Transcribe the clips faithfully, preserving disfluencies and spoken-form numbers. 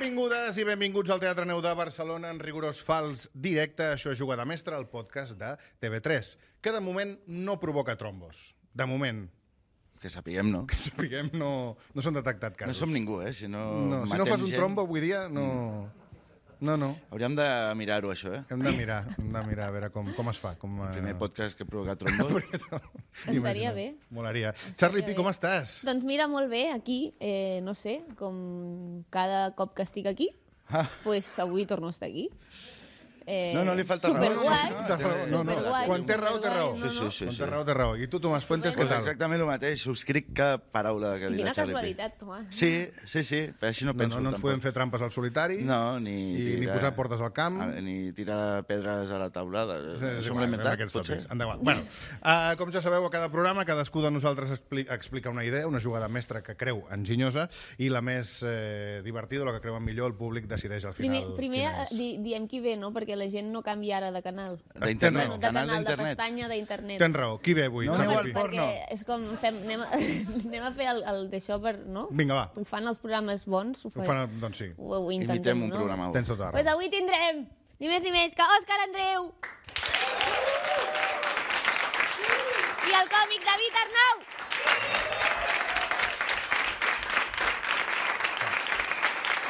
Benvingudes i benvinguts al Teatre Neu de Barcelona en rigorós fals directe. Això és Jugada Mestra, el podcast de T V tres, que de moment no provoca trombos. De moment. Que sapiguem, no? Que sapiguem, no, no s'han detectat casos. No som ningú, eh? Si no, no, si no fas un gent... trombo avui dia, no... No, no. Hauríem de mirar-ho, això, eh? Hem de mirar, hem de mirar a veure com, com es fa. Com, el primer podcast que provoca trombos. Estaria bé. Molaria. Charlie Pi, com estàs? Doncs mira, molt bé, aquí, eh, no sé, com cada cop que estic aquí, ah. pues avui torno a estar aquí. Eh, no, no li falta raó. Superguai. No, no, no. Quan té raó, té raó. Sí, sí, sí. Quan té raó, té raó. I tu, Tomàs Fuentes, què Pues tal? exactament el mateix. Subscric cap paraula que dirà Quina Charlie Pi. casualitat, Tomàs. Sí, sí, sí. Així no penso, No, no ens tampoc. podem fer trampes al solitari. No, ni... I tirar... ni posar portes al camp. Ni tirar pedres a la taulada. Sí, Això sí, m'ho he inventat, potser. potser? Endavant. Bueno, uh, com ja sabeu, a cada programa cadascú de nosaltres expli explica una idea, una jugada mestra que creu enginyosa, i la més eh, divertida, la que creuen millor, el públic decideix al final. Primer, primer di diem qui ve, no? Perquè la gent no canvia ara de canal. D'internet, No, de canal canal, de d'internet. pestanya d'internet. Tens raó. Qui ve avui? No Charlie aneu al Pi? porno. Perquè és com, fem, anem, a, anem a fer el, el d'això per, no? Vinga, va. Ho fan els programes bons, ho, Ho fan, doncs sí. ho, ho intentem, Imitem un no? programa. Tens tota la Pues raó. avui tindrem, ni més ni menys que Òscar Andreu i el còmic David Arnau.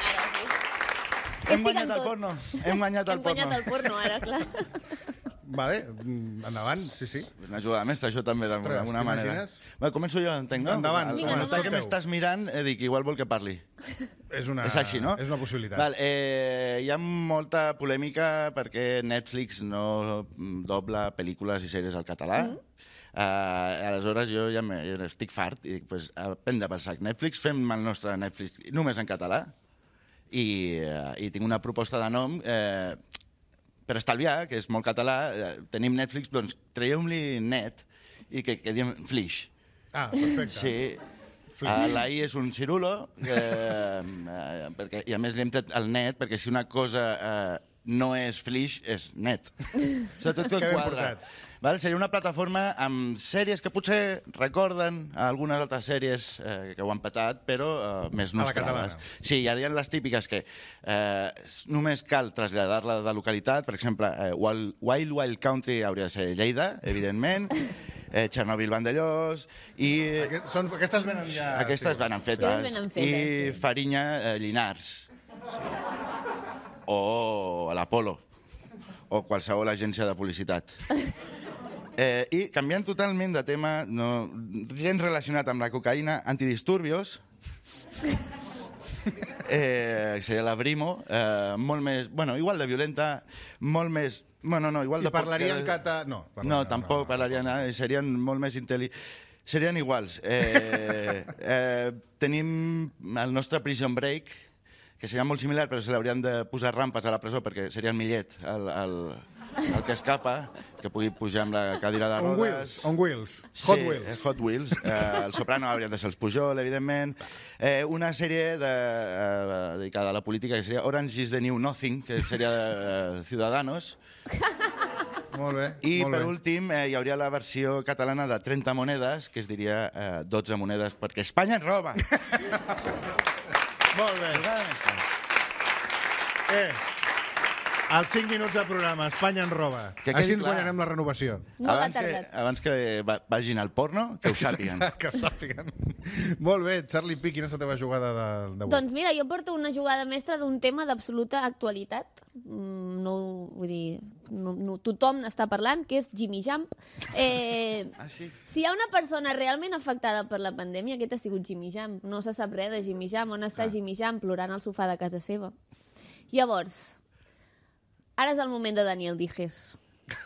Ara sí. És que Hem estic guanyat en el tot. porno. Hem guanyat el Hem guanyat porno. el porno, ara, clar. Vale, mm, endavant, sí, sí. Una jugada mestra, això també, Ostres, d'alguna manera. t'imagines? Va, començo jo, entenc, no? Endavant. El, Vinga, el endavant. que m'estàs mirant, eh, dic, igual vol que parli. És, una, És així, no? És una possibilitat. Val, eh, hi ha molta polèmica perquè Netflix no dobla pel·lícules i sèries al català. Mm. Uh, aleshores jo ja, me, ja estic fart i dic, pues, a prendre pel sac Netflix, fem el nostre Netflix només en català i, uh, i tinc una proposta de nom eh, per estalviar, que és molt català. Eh, tenim Netflix, doncs traieu-li net i que, que diem Flix. Ah, perfecte. Sí. Uh, la I és un cirulo, eh, uh, perquè, i a més li hem tret el net, perquè si una cosa uh, no és flix, és net. Això tot, tot Que ben quadra. portat. Val? Seria una plataforma amb sèries que potser recorden algunes altres sèries eh, que ho han petat, però eh, més A la nostrades. catalana. Sí, hi ha les típiques que eh, només cal traslladar-la de localitat. Per exemple, eh, Wild, Wild Wild Country hauria de ser Lleida, evidentment, eh, Chernobyl Vandellós, i Aquest, són, aquestes venen ja... aquestes sí. venen fetes. Sí, venen fetes, I sí. Farinya, eh, Llinars. Sí. O l'Apolo. O qualsevol agència de publicitat. Eh, I canviant totalment de tema, no, gens relacionat amb la cocaïna, antidisturbios, eh, seria la Brimo, eh, molt més, bueno, igual de violenta, molt més, bueno, no, igual I de... poc parlarien que- cata... No, No, parlarien, tampoc parlarien, eh, serien molt més intel·ligents. Serien iguals. Eh, eh, tenim el nostre Prison Break, que seria molt similar, però se l'haurien de posar rampes a la presó perquè seria el millet, el, el, el que escapa, que pugui pujar amb la cadira de On rodes. wheels, on wheels. Hot Sí, wheels. eh, Hot Wheels. Eh, el Soprano haurien de ser els Pujol, evidentment. Eh, una sèrie de, eh, dedicada a la política que seria Orange is the New Nothing, que seria eh, Ciudadanos. Molt bé, I molt per bé. últim eh, hi hauria la versió catalana de trenta monedes, que es diria eh, dotze monedes, perquè Espanya ens roba. Molt bé. Eh, els cinc minuts de programa, Espanya en roba. Que quedi Així ens clar. guanyarem la renovació. Molt abans, que, atardat. abans que va- vagin al porno, que ho sàpiguen. Que ho sàpiguen. Molt bé, Charlie Pi, quina és la teva jugada de- d'avui? Doncs mira, jo porto una jugada mestra d'un tema d'absoluta actualitat. Mm, No, vull dir, no, no, tothom n'està parlant, que és Jimmy Jump. Eh, Ah, sí? si hi ha una persona realment afectada per la pandèmia, aquest ha sigut Jimmy Jump. No se sap res de Jimmy Jump. On està Jimmy Jump? Plorant al sofà de casa seva. Llavors, ara és el moment de Daniel Dijes.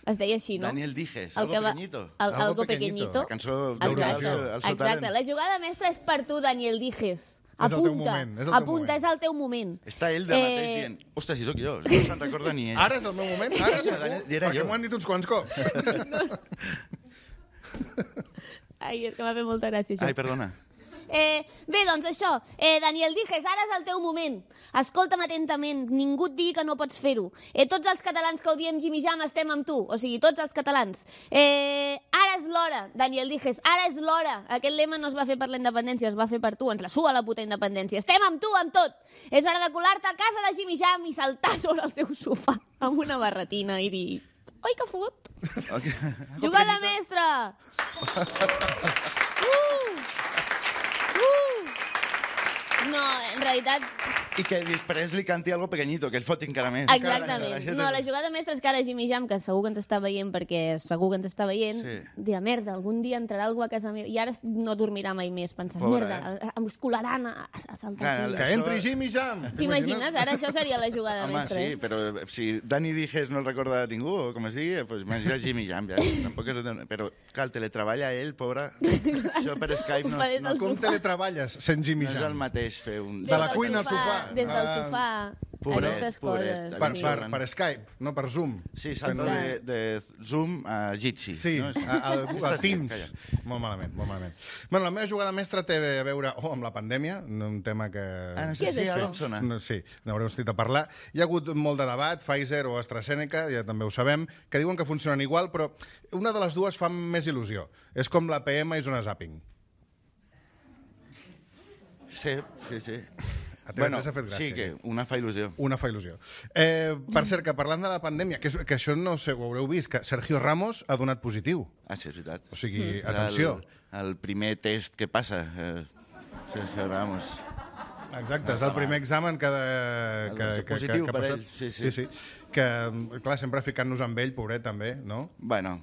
Es deia així, no? Daniel Dijes, El algo que va- pequeñito. El, Algo algo pequeñito. pequeñito. La cançó Exacte, d'Eurovisió, el seu exacte. talent. La jugada mestra és per tu, Daniel Dijes. És el teu Apunta, moment, és el teu apunta, moment. és el teu moment. Està ell de mateix dient, ostres, si sóc jo, no se'n recorda ni ell. Ara és el meu moment? Ara Sí, segur? Daniel, era Perquè jo. m'ho han dit uns quants cops. Ai, és que m'ha fet molta gràcia, això. Ai, perdona. Eh, bé, doncs això, eh, Daniel Dijes, ara és el teu moment. Escolta'm atentament, ningú et digui que no pots fer-ho. Eh, tots els catalans que odiem Jimmy Jam estem amb tu, o sigui, tots els catalans. Eh, ara és l'hora, Daniel Dijes, ara és l'hora. Aquest lema no es va fer per la independència, es va fer per tu, ens la sua la puta independència. Estem amb tu, amb tot. És hora de colar-te a casa de Jimmy Jam i saltar sobre el seu sofà amb una barretina i dir... Oi, que fot! Okay. Jugada mestra! Uh! Uh! No, en realitat... I que després li canti algo pequeñito, que ell foti encara més. Exactament. No, la jugada mestra és que ara Jimmy Jam, que segur que ens està veient, perquè segur que ens està veient, Sí. dirà, merda, algun dia entrarà algú a casa meva, i ara no dormirà mai més, pensant, Pobre, merda, em colaran a, a saltar Clar, aquí. la- Que Això- entri Jimmy Jam! T'imagines? Ara això seria la jugada Home, mestra, sí, eh? però si Dani Dijes no el recorda ningú, o com es digui, pues imagina Jimmy Jam, ja. Tampoc és... Però, clar, el teletreballa ell, pobre. Això per Skype no, Ho fa des no, del Com sofà. teletreballes sent Jimmy no és el Jam? mateix fer un... De la Des del cuina al sofà. Des del Ah. sofà. Pobret, Aquestes pobret. coses. Per, sí. per, per Skype, no per Zoom. Sí, salto Fent- de, de Zoom a Jitsi. Sí, no? a- al, al Estàs- Teams. calla. Molt malament, molt malament. Bueno, la meva jugada mestra té a veure oh, amb la pandèmia, un tema que... Ah, no Què sé, és sí, això? ara em sona. No, sí, n'haureu sentit a parlar. Hi ha hagut molt de debat, Pfizer o AstraZeneca, ja també ho sabem, que diuen que funcionen igual, però una de les dues fa més il·lusió. És com la P M i zona zapping. Sí, sí, sí. A T V tres ha fet gràcia. sí, que una fa il·lusió. Una fa il·lusió. Eh, per cert, que parlant de la pandèmia, que, és, que això no sé, ho haureu vist, que Sergio Ramos ha donat positiu. Ah, sí, és veritat. O sigui, És atenció. El, el primer test que passa. Eh, Sergio Ramos. Exacte, és el primer examen que... De, El que, que positiu que, que per ha passat. ell, sí, sí, sí. sí. Que, clar, sempre ficant-nos amb ell, pobret, també, no? Bueno,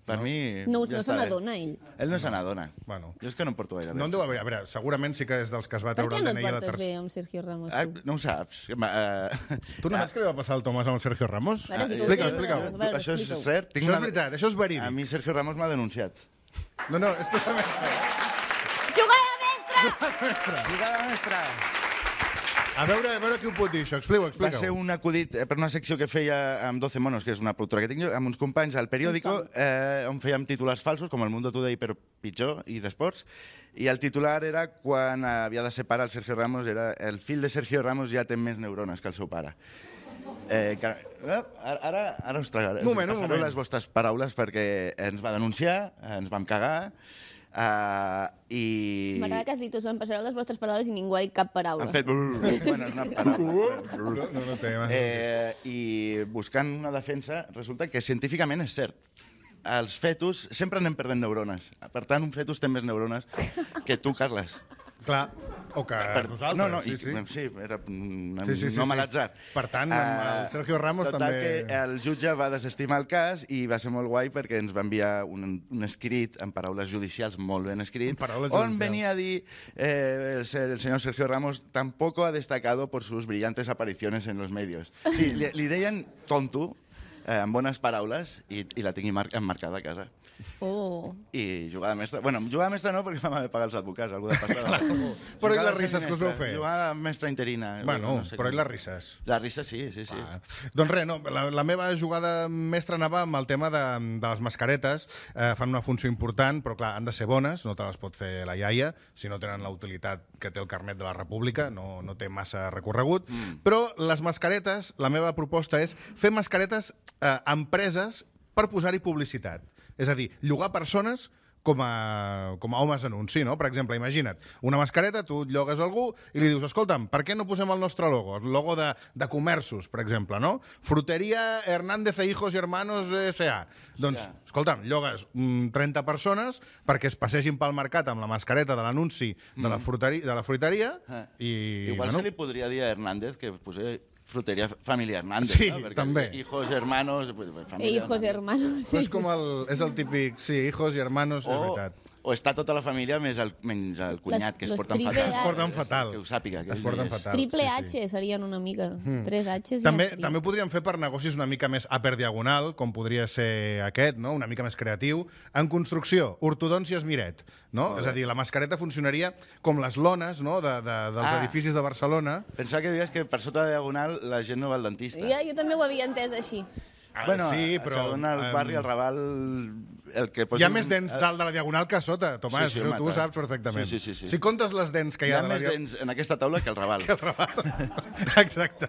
per No? mi... No, ja no se està bé. n'adona, ell. Ell no se n'adona. Bueno. Jo és que no em porto gaire bé. No en deu haver... A veure, segurament sí que és dels que es va Per treure què el no D et N I a la portes tercera. bé amb Sergio Ramos, Ah, tu? no ho saps. Uh, Tu no saps què li va passar al Tomàs amb el Sergio Ramos? A veure, si tu ho Explica-ho, sé, explica-ho. a veure, això és explica-ho. cert? Això és veritat, això és verídic. A mi Sergio Ramos m'ha denunciat. No, no, és totalment cert. Jugada mestra! Jugada mestra! A veure, a veure qui ho pot dir, això. Explica-ho, Va explica-ho. ser un acudit eh, per una secció que feia amb doce monos, que és una productora que tinc jo, amb uns companys al periòdico, eh, on fèiem titulars falsos, com el Mundo Today, però pitjor, i d'esports. I el titular era quan havia de separar el Sergio Ramos, era el fill de Sergio Ramos ja té més neurones que el seu pare. Eh, que, eh, ara, ara us tragaré. Un moment, un us passaré moment. les vostres paraules perquè ens va denunciar, ens vam cagar, Uh, i... M'agrada que has dit, us en passareu les vostres paraules i ningú ha dit cap paraula. Han fet... Bueno, és una paraula. No, no, no té massa Eh, I buscant una defensa, resulta que científicament és cert. Els fetus sempre anem perdent neurones. Per tant, un fetus té més neurones que tu, Carles. Clar, o que Per... nosaltres, no, no, sí, i, sí. sí, era un Sí, sí, sí, nom sí. a l'atzar. Per tant, amb el Eh, Sergio Ramos total també- que el jutge va desestimar el cas i va ser molt guai perquè ens va enviar un, un escrit en paraules judicials molt ben escrit, En paraules on judicials. venia a dir eh, el, se- el señor Sergio Ramos tampoco ha destacado por sus brillantes apariciones en los medios. Sí, li, li deien tonto, eh, amb bones paraules, i, i la tinc mar emmarcada a casa. Oh. I jugada mestra... Bueno, jugada mestra no, perquè vam haver de pagar els advocats, algú de passada. Però i Jugada les risses que us vau semestre, fer? Jugada mestra interina. Bueno, no sé però com- i les risses? Les risses sí, sí, sí. Ah. Doncs res, no, la, la meva jugada mestra anava amb el tema de, de les mascaretes. Eh, fan una funció important, però clar, han de ser bones, no te les pot fer la iaia, si no tenen la utilitat que té el carnet de la República, no, no té massa recorregut. Mm. Però les mascaretes, la meva proposta és fer mascaretes eh, a empreses per posar-hi publicitat. És a dir, llogar persones com a, com a homes anunci, no? Per exemple, imagina't, una mascareta, tu et llogues a algú i li dius, escolta'm, per què no posem el nostre logo? El logo de, de comerços, per exemple, no? Fruteria Hernández e Hijos y Hermanos S A Doncs, escolta'm, llogues mm, trenta persones perquè es passegin pel mercat amb la mascareta de l'anunci de, la fruteria, de la fruiteria Ah. i... Igual bueno, se li podria dir a Hernández que posés fruteria familia Hernández, Sí, no? Perquè també. hijos, hermanos... pues, E familia hijos Hernández. hermanos. Però és com el, és el típic, sí, hijos y hermanos, és O, veritat. o està tota la família més el, menys el cunyat, Les- que es los porten triple fatal. A. Es porten fatal. Que ho sàpiga. Que Es porten és- fatal. Triple sí, sí. H serien una mica. Tres Hs També, ja també ho podríem fer per negocis una mica més upper diagonal, com podria ser aquest, no? Una mica més creatiu. En construcció, ortodòncia Esmiret, no? És a dir, la mascareta funcionaria com les lones, no? de, de, dels Ah. edificis de Barcelona. Pensava que dius que per sota de diagonal la gent no va al dentista. Ja, jo també ho havia entès així. Ah, Bueno, sí, a- però... Segon el em, barri, el Raval... el que Hi ha més dents dalt de la diagonal que a sota, Tomàs, Sí, sí, això tu ho mata. saps perfectament. Sí, sí, sí, sí. Si comptes les dents que hi Hi ha, ha de la més dia- dents en aquesta taula que el Raval. que el Raval. Exacte.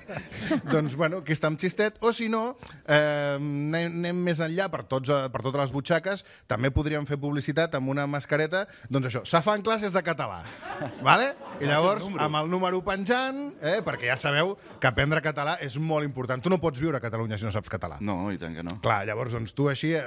Doncs, bueno, aquí està amb xistet. O si no, eh, anem, anem més enllà per, tots, eh, per totes les butxaques. També podríem fer publicitat amb una mascareta. Doncs això, se fan classes de català. Vale? I llavors, amb el número penjant, eh, perquè ja sabeu que aprendre català és molt important. Tu no pots viure a Catalunya si no saps català. No, i tant que no. Clar, llavors doncs, tu així eh,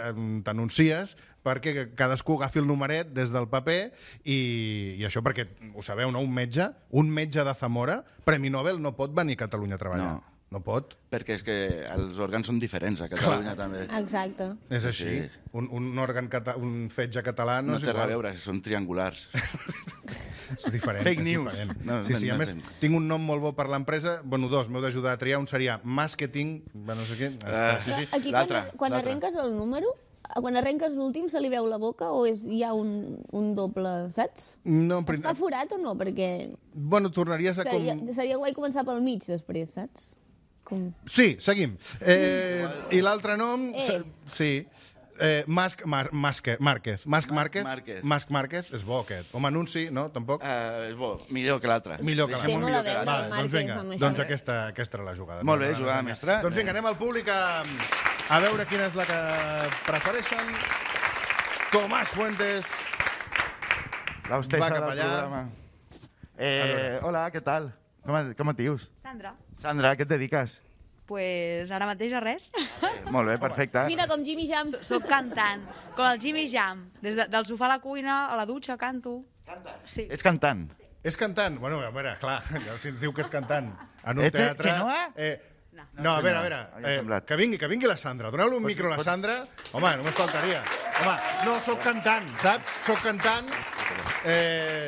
t'anuncies perquè cadascú agafi el numeret des del paper i, i això perquè, ho sabeu, no? Un metge, un metge de Zamora, Premi Nobel, no pot venir a Catalunya a treballar. No. No pot. Perquè és que els òrgans són diferents a Catalunya, també. Exacte. És així. Sí. Un, un òrgan, cata un fetge català no, No és té res a igual. veure, són triangulars. És diferent. Fake és news. diferent. No, sí, sí, a no, més, no. tinc un nom molt bo per l'empresa. Bueno, dos, m'heu d'ajudar a triar. Un seria marketing, bueno, no sé què. Ah. Sí, sí. Aquí, quan, L'altre, quan l'altre. arrenques el número, quan arrenques l'últim, se li veu la boca o és, hi ha un, un doble, saps? No, en Es prin- fa forat o no? Perquè Bueno, tornaries a com... seria, seria guai començar pel mig després, saps? Com... Sí, seguim. Eh, I l'altre nom... Eh. se- Sí. Eh, Masc Mar Masque- Márquez. Masc Márquez. Márquez. Masc Márquez. És bo, aquest. Com a anunci, no? Tampoc? Uh, és bo, millor que l'altre. Millor que Deixem-ho Té molt millor a que veure. l'altre. Vale, doncs Márquez vinga, amb això. doncs aquesta, aquesta era la jugada. Molt bé, No, no, no, jugada no, no. mestra. Doncs vinga, anem al públic a, a veure quina és la que prefereixen. Tomàs Fuentes. La hostessa Va cap del allà. programa. Eh, hola, què tal? Com, et- com et dius? Sandra, Sandra, a què et dediques? pues ara mateix a res. Eh, molt bé, perfecte. Mira, com Jimmy Jam. Soc cantant, com el Jimmy Jam. Des de, del sofà a la cuina, a la dutxa, canto. Sí. Ets cantant. És cantant? Bueno, a veure, clar, si ens diu que és cantant en un Ets teatre... Xenoa? Eh, No. no, a veure, a veure, Ja ha eh, semblat. que vingui, que vingui la Sandra. Doneu-li un micro a la Sandra. Home, només faltaria. Home, no, sóc cantant, saps? Sóc cantant. Eh,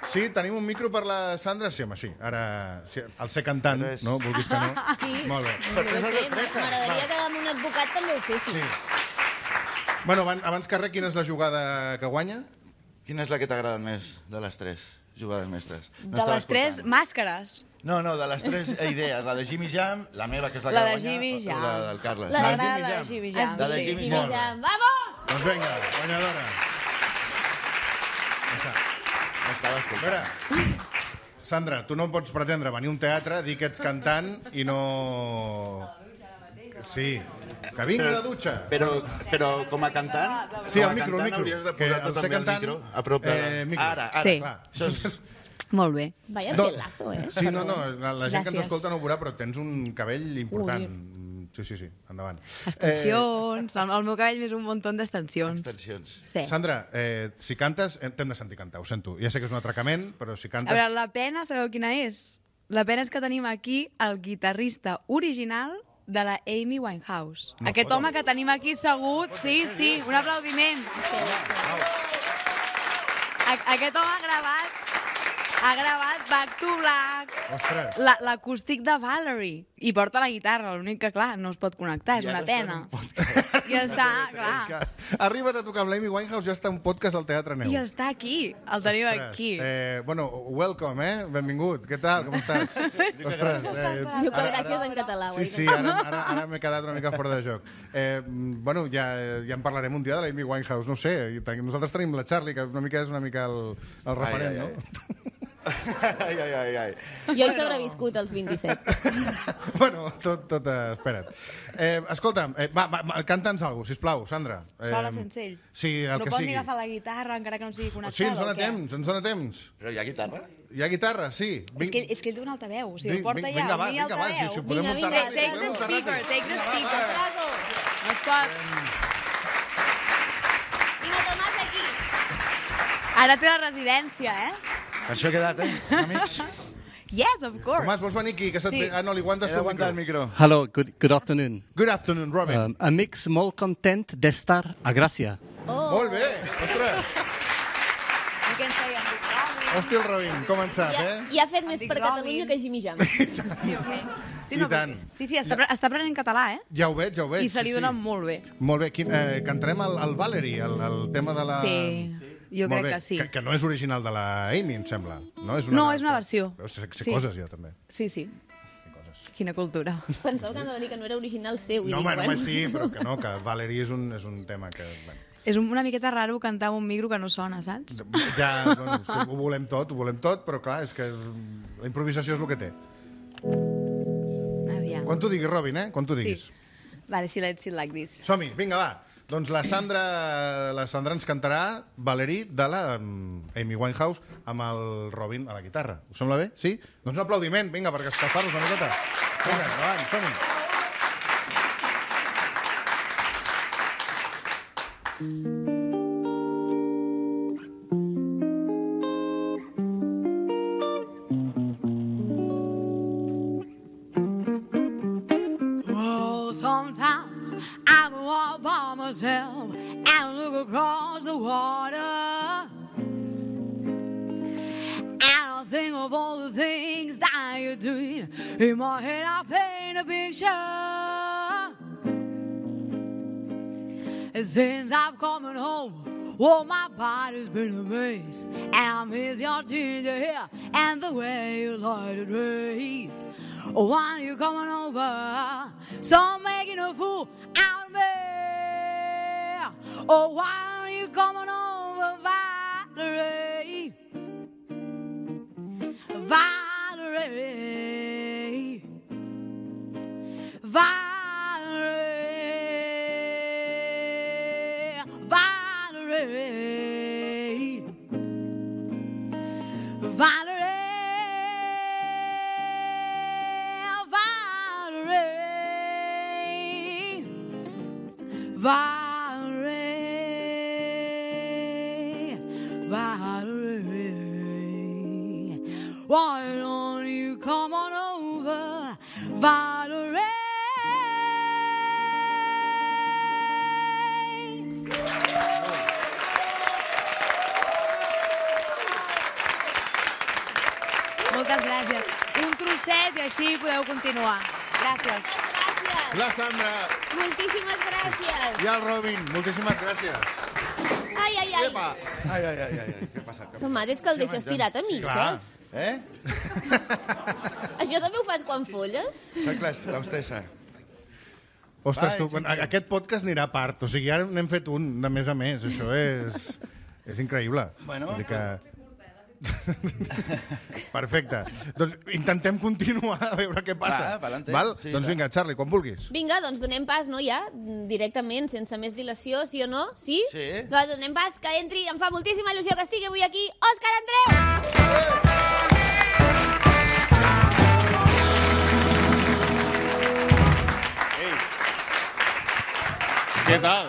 sí, tenim un micro per la Sandra? Sí, home, sí. Ara, sí, el ser cantant, Ara és- no? Vulguis que no? Sí. Molt bé. No sé, m'agradaria que amb un advocat també ho fessin. Sí. Bueno, abans, abans que res, quina és la jugada que guanya? Quina és la que t'agrada més de les tres jugades mestres? No De estava les tres escoltant. màscares. No, no, de les tres idees. La de Jimmy Jam, la meva, que és la, La que de guanya, Jimmy o Jam. la del Carles. La de M'agrada Jimmy la de Jam. Jimmy Has Jam. La de vist, Jimmy Jimmy Jam. Jam. Vamos! Doncs vinga, guanyadora. No estava A escoltant. veure, Sandra, tu no pots pretendre venir a un teatre, dir que ets cantant i no... Sí, que vingui a la dutxa. Però, però com a cantant... Sí, com a el micro, el cantant micro. hauries de Que posar al tot ser també el cantant, micro a prop de... eh, micro. Ara, ara. Sí. Clar. Això és... Molt bé. Vaya No. pelazo, eh? Sí, no, no, la, la gent que ens Gràcies. escolta no ho veurà, però tens un cabell important. Sí, sí, sí, endavant. Extensions. El, el meu cabell més un munt d'extensions. Extensions. Sí. Eh, Sandra, eh, si cantes, eh, t'hem de sentir cantar, ho sento. Ja sé que és un atracament, però si A cantes... veure, la pena, sabeu quina és? La pena és que tenim aquí el guitarrista original de la Amy Winehouse. No Aquest fotem. home que tenim aquí segut, sí, sí, un aplaudiment. A aquest home ha gravat, ha gravat Back to Black, Ostres. la- l'acústic de Valerie, i porta la guitarra, l'únic que, clar, no es pot connectar, és I una ara està en pena. un podcast. I està, clar, Que arriba't a tocar amb l'Amy Winehouse, ja està un podcast al Teatre Neu. i està aquí, el tenim Ostres, aquí. Eh, bueno, welcome, eh? Benvingut. Què tal? Com estàs? Ostres, eh, Diu que gràcies en català. Sí, sí, ara, ara, ara m'he quedat una mica fora de joc. Eh, bueno, ja, ja en parlarem un dia de l'Amy Winehouse, no ho sé. I ten- Nosaltres tenim la Charlie, que una mica és una mica el, el referent, ai, ai. no? Ai, ai, ai, ai. Jo he sobreviscut als vint-i-set. Bueno, tot, tot, eh, espera't. Eh, escolta'm, eh, va, va, va, canta'ns alguna cosa, sisplau, Sandra. Eh, Sola sense ell. Sí, el No que pot sigui. ni agafar la guitarra, encara que no sigui connectada, Sí, ens dona o què? temps, ens dona temps. Però hi ha guitarra? Hi ha guitarra, sí. És que, és que ell té un altaveu, o sigui, Vinga, el porta vinga, ja, va, un mini vinga, va, altaveu. si- si ho podem Vinga, muntar vinga, ràpid, take podem the muntar speaker, ràpid. take the Vinga, va, speaker. va. Drago! No es pot. Vinga, Tomàs, aquí! Ara té la residència, eh? Per això he quedat, eh, amics? Yes, of course. Tomàs, vols venir aquí? Que se't... Sí. ve- Ah, no, li aguantes He tu el d'aguantar micro. el micro. Hello, good, good afternoon. Good afternoon, Robin. Um, amics molt content d'estar a Gràcia. Oh. Molt bé, ostres. I què ens feien? Hòstia, el Robin, com en sap, Ja, eh? ja ha fet més dic per Robin. Catalunya que Jimmy Jam. Sí, o què? Sí, I tant. Sí, sí, està, ja. està aprenent català, eh? Ja ho veig, ja ho veig. I se li sí, dona sí. molt bé. Molt bé, Quin, eh, cantarem el, el Valerie, el, el tema de la... Sí, jo Molt crec bé. que sí. Que, que no és original de la Amy, em sembla. No, és una, No, és una versió. Veus, sé, sé Sí. coses, ja, també. Sí, sí. Sé coses. Quina cultura. Pensava que anava a dir que no era original seu. I No, dic, home, bueno. home, sí, però que no, que Valerie és un, és un tema que... Bueno. És una miqueta raro cantar amb un micro que no sona, saps? Ja, bueno, és que ho volem tot, ho volem tot, però clar, és que la improvisació és el que té. Aviam. Quan tu diguis, Robin, eh? Quan tu diguis. Sí. Vale, si let's see like this. Som-hi, vinga, va. Doncs la Sandra, la Sandra ens cantarà Valerie de la Amy Winehouse amb el Robin a la guitarra. Us sembla bé? Sí? Doncs un aplaudiment, vinga, per escalfar-nos una miqueta. Vinga, endavant, som-hi. Oh, sometimes I go all by myself and look across the water, and I think of all the things that you're doing. In my head I paint a picture. Since I've come home, oh, my body's been a mess, and I miss your ginger hair and the way you light the rays. Oh, why are you coming over? Stop making a fool out of me. Oh, why are you coming over, Valerie? Valerie. Valerie. Valerie, Valerie, Valerie, Valerie, why don't you come on over, Valerie? Moltes gràcies. Un trosset i així podeu continuar. Gràcies. Gràcies. La Sandra Moltíssimes gràcies. i el Robin, moltíssimes gràcies. Ai, ai, ai. Epa! Ai, ai, ai, ai, què passa? Què Tomàs, és que el deixes tirat a mitges. Eh? Això també ho fas quan folles? Sóc l'hostessa. Ostres, Vai, tu, quan, aquest podcast anirà a part. O sigui, ara n'hem fet un de més a més. Això és, és increïble. Bueno, Vull dir que... Perfecte. Doncs intentem continuar a veure què passa. Va, pa'lante. Val? Sí, doncs va. vinga, Charlie, quan vulguis. Vinga, doncs donem pas, no, ja? Directament, sense més dilació, sí o no? Sí? Sí. Doncs donem pas, que entri. Em fa moltíssima il·lusió que estigui avui aquí Òscar Andreu! Què tal?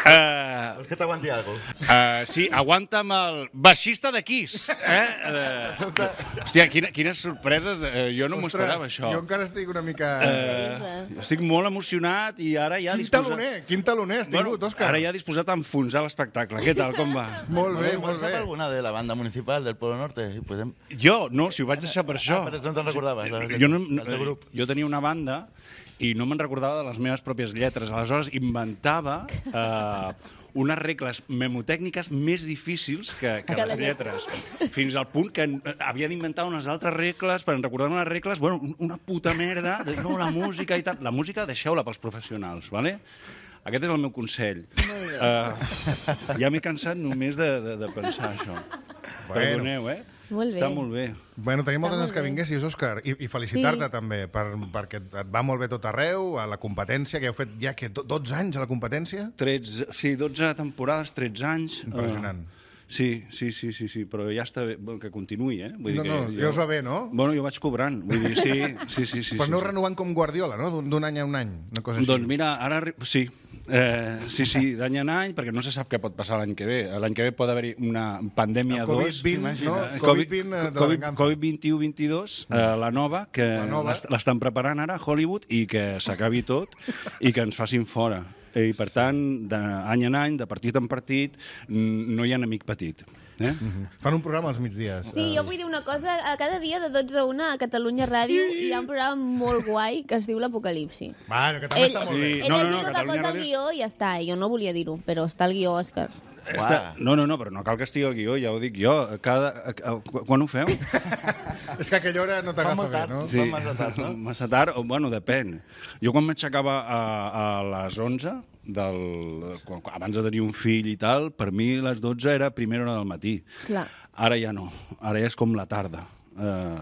Uh, Vols que t'aguanti alguna cosa? uh, sí, aguanta'm el baixista de Kiss. Eh? Uh, hòstia, quina, quines sorpreses. Uh, jo no m'ho esperava, això. Jo encara estic una mica... Uh, estic molt emocionat i ara ja Quin disposat... taloner, quin taloner has tingut, Òscar? Ara ja disposat a enfonsar l'espectacle. Què tal, com va? Molt bé, Bueno, molt bé. ¿Sap alguna de la banda municipal del Pueblo Norte? I podem... Jo, no, si ho vaig deixar per això. Ah, però no te'n recordaves, del- Jo, no, del teu grup. jo tenia una banda i no me'n recordava de les meves pròpies lletres. Aleshores inventava eh, unes regles memotècniques més difícils que, que Que les la lletres. Fins al punt que eh, havia d'inventar unes altres regles per recordar unes regles, bueno, una puta merda, de, no, la música i tal. La música deixeu-la pels professionals, vale? Aquest és el meu consell. Uh, ja m'he cansat només de, de, de pensar això. Bueno. Perdoneu, eh? Molt bé. Està molt bé. Bueno, tenim moltes ganes molt que bé. vinguessis, Òscar, i, i felicitar-te Sí. també, per, perquè et va molt bé tot arreu, a la competència, que heu fet ja que dotze anys a la competència. tretze, sí, dotze temporades, tretze anys. Impressionant. Uh, sí, sí, sí, sí, sí, però ja està bé, bueno, que continuï, eh? Vull No, dir no, que ja us va bé, no? Bueno, jo vaig cobrant, vull dir, sí, sí, sí. sí Però sí, aneu sí. renovant com Guardiola, no? D'un d'un any a un any, una cosa així. Doncs mira, ara... arri- Sí, eh, sí, sí, d'any en any, perquè no se sap què pot passar l'any que ve. L'any que ve pot haver-hi una pandèmia El covid dos. vint, no? Eh, covid vint de la Covid, venganza. Covid vint-i-u vint-i-dos, eh, la nova, que La nova. l'est- l'estan preparant ara a Hollywood i que s'acabi tot i que ens facin fora. I, per tant, d'any en any, de partit en partit, n- no hi ha enemic petit. Eh? Fan un programa als migdies. Sí, jo vull dir una cosa. A cada dia de dotze a una a Catalunya Ràdio hi ha un programa molt guai que es diu l'Apocalipsi. Bueno, que també està molt bé. Sí. Ell no, no, és no, el que Catalunya posa el Ràdio és- guió i ja està. Jo no volia dir-ho, però està el guió, Òscar. Està... No, no, no, però no cal que estigui al guió, ja ho dic jo. Cada... Quan ho feu? És que a aquella hora no t'agafa bé, no? Sí. Massa tard, no? Massa tard, o, bueno, depèn. Jo quan m'aixecava a, a les onze, del, quan, abans de tenir un fill i tal, per mi les dotze era primera hora del matí. Clar. Ara ja no, ara ja és com la tarda. Uh,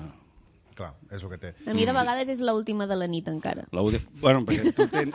Clar, és el que té. A mi de vegades és l'última de la nit encara. Bueno, perquè tu tens...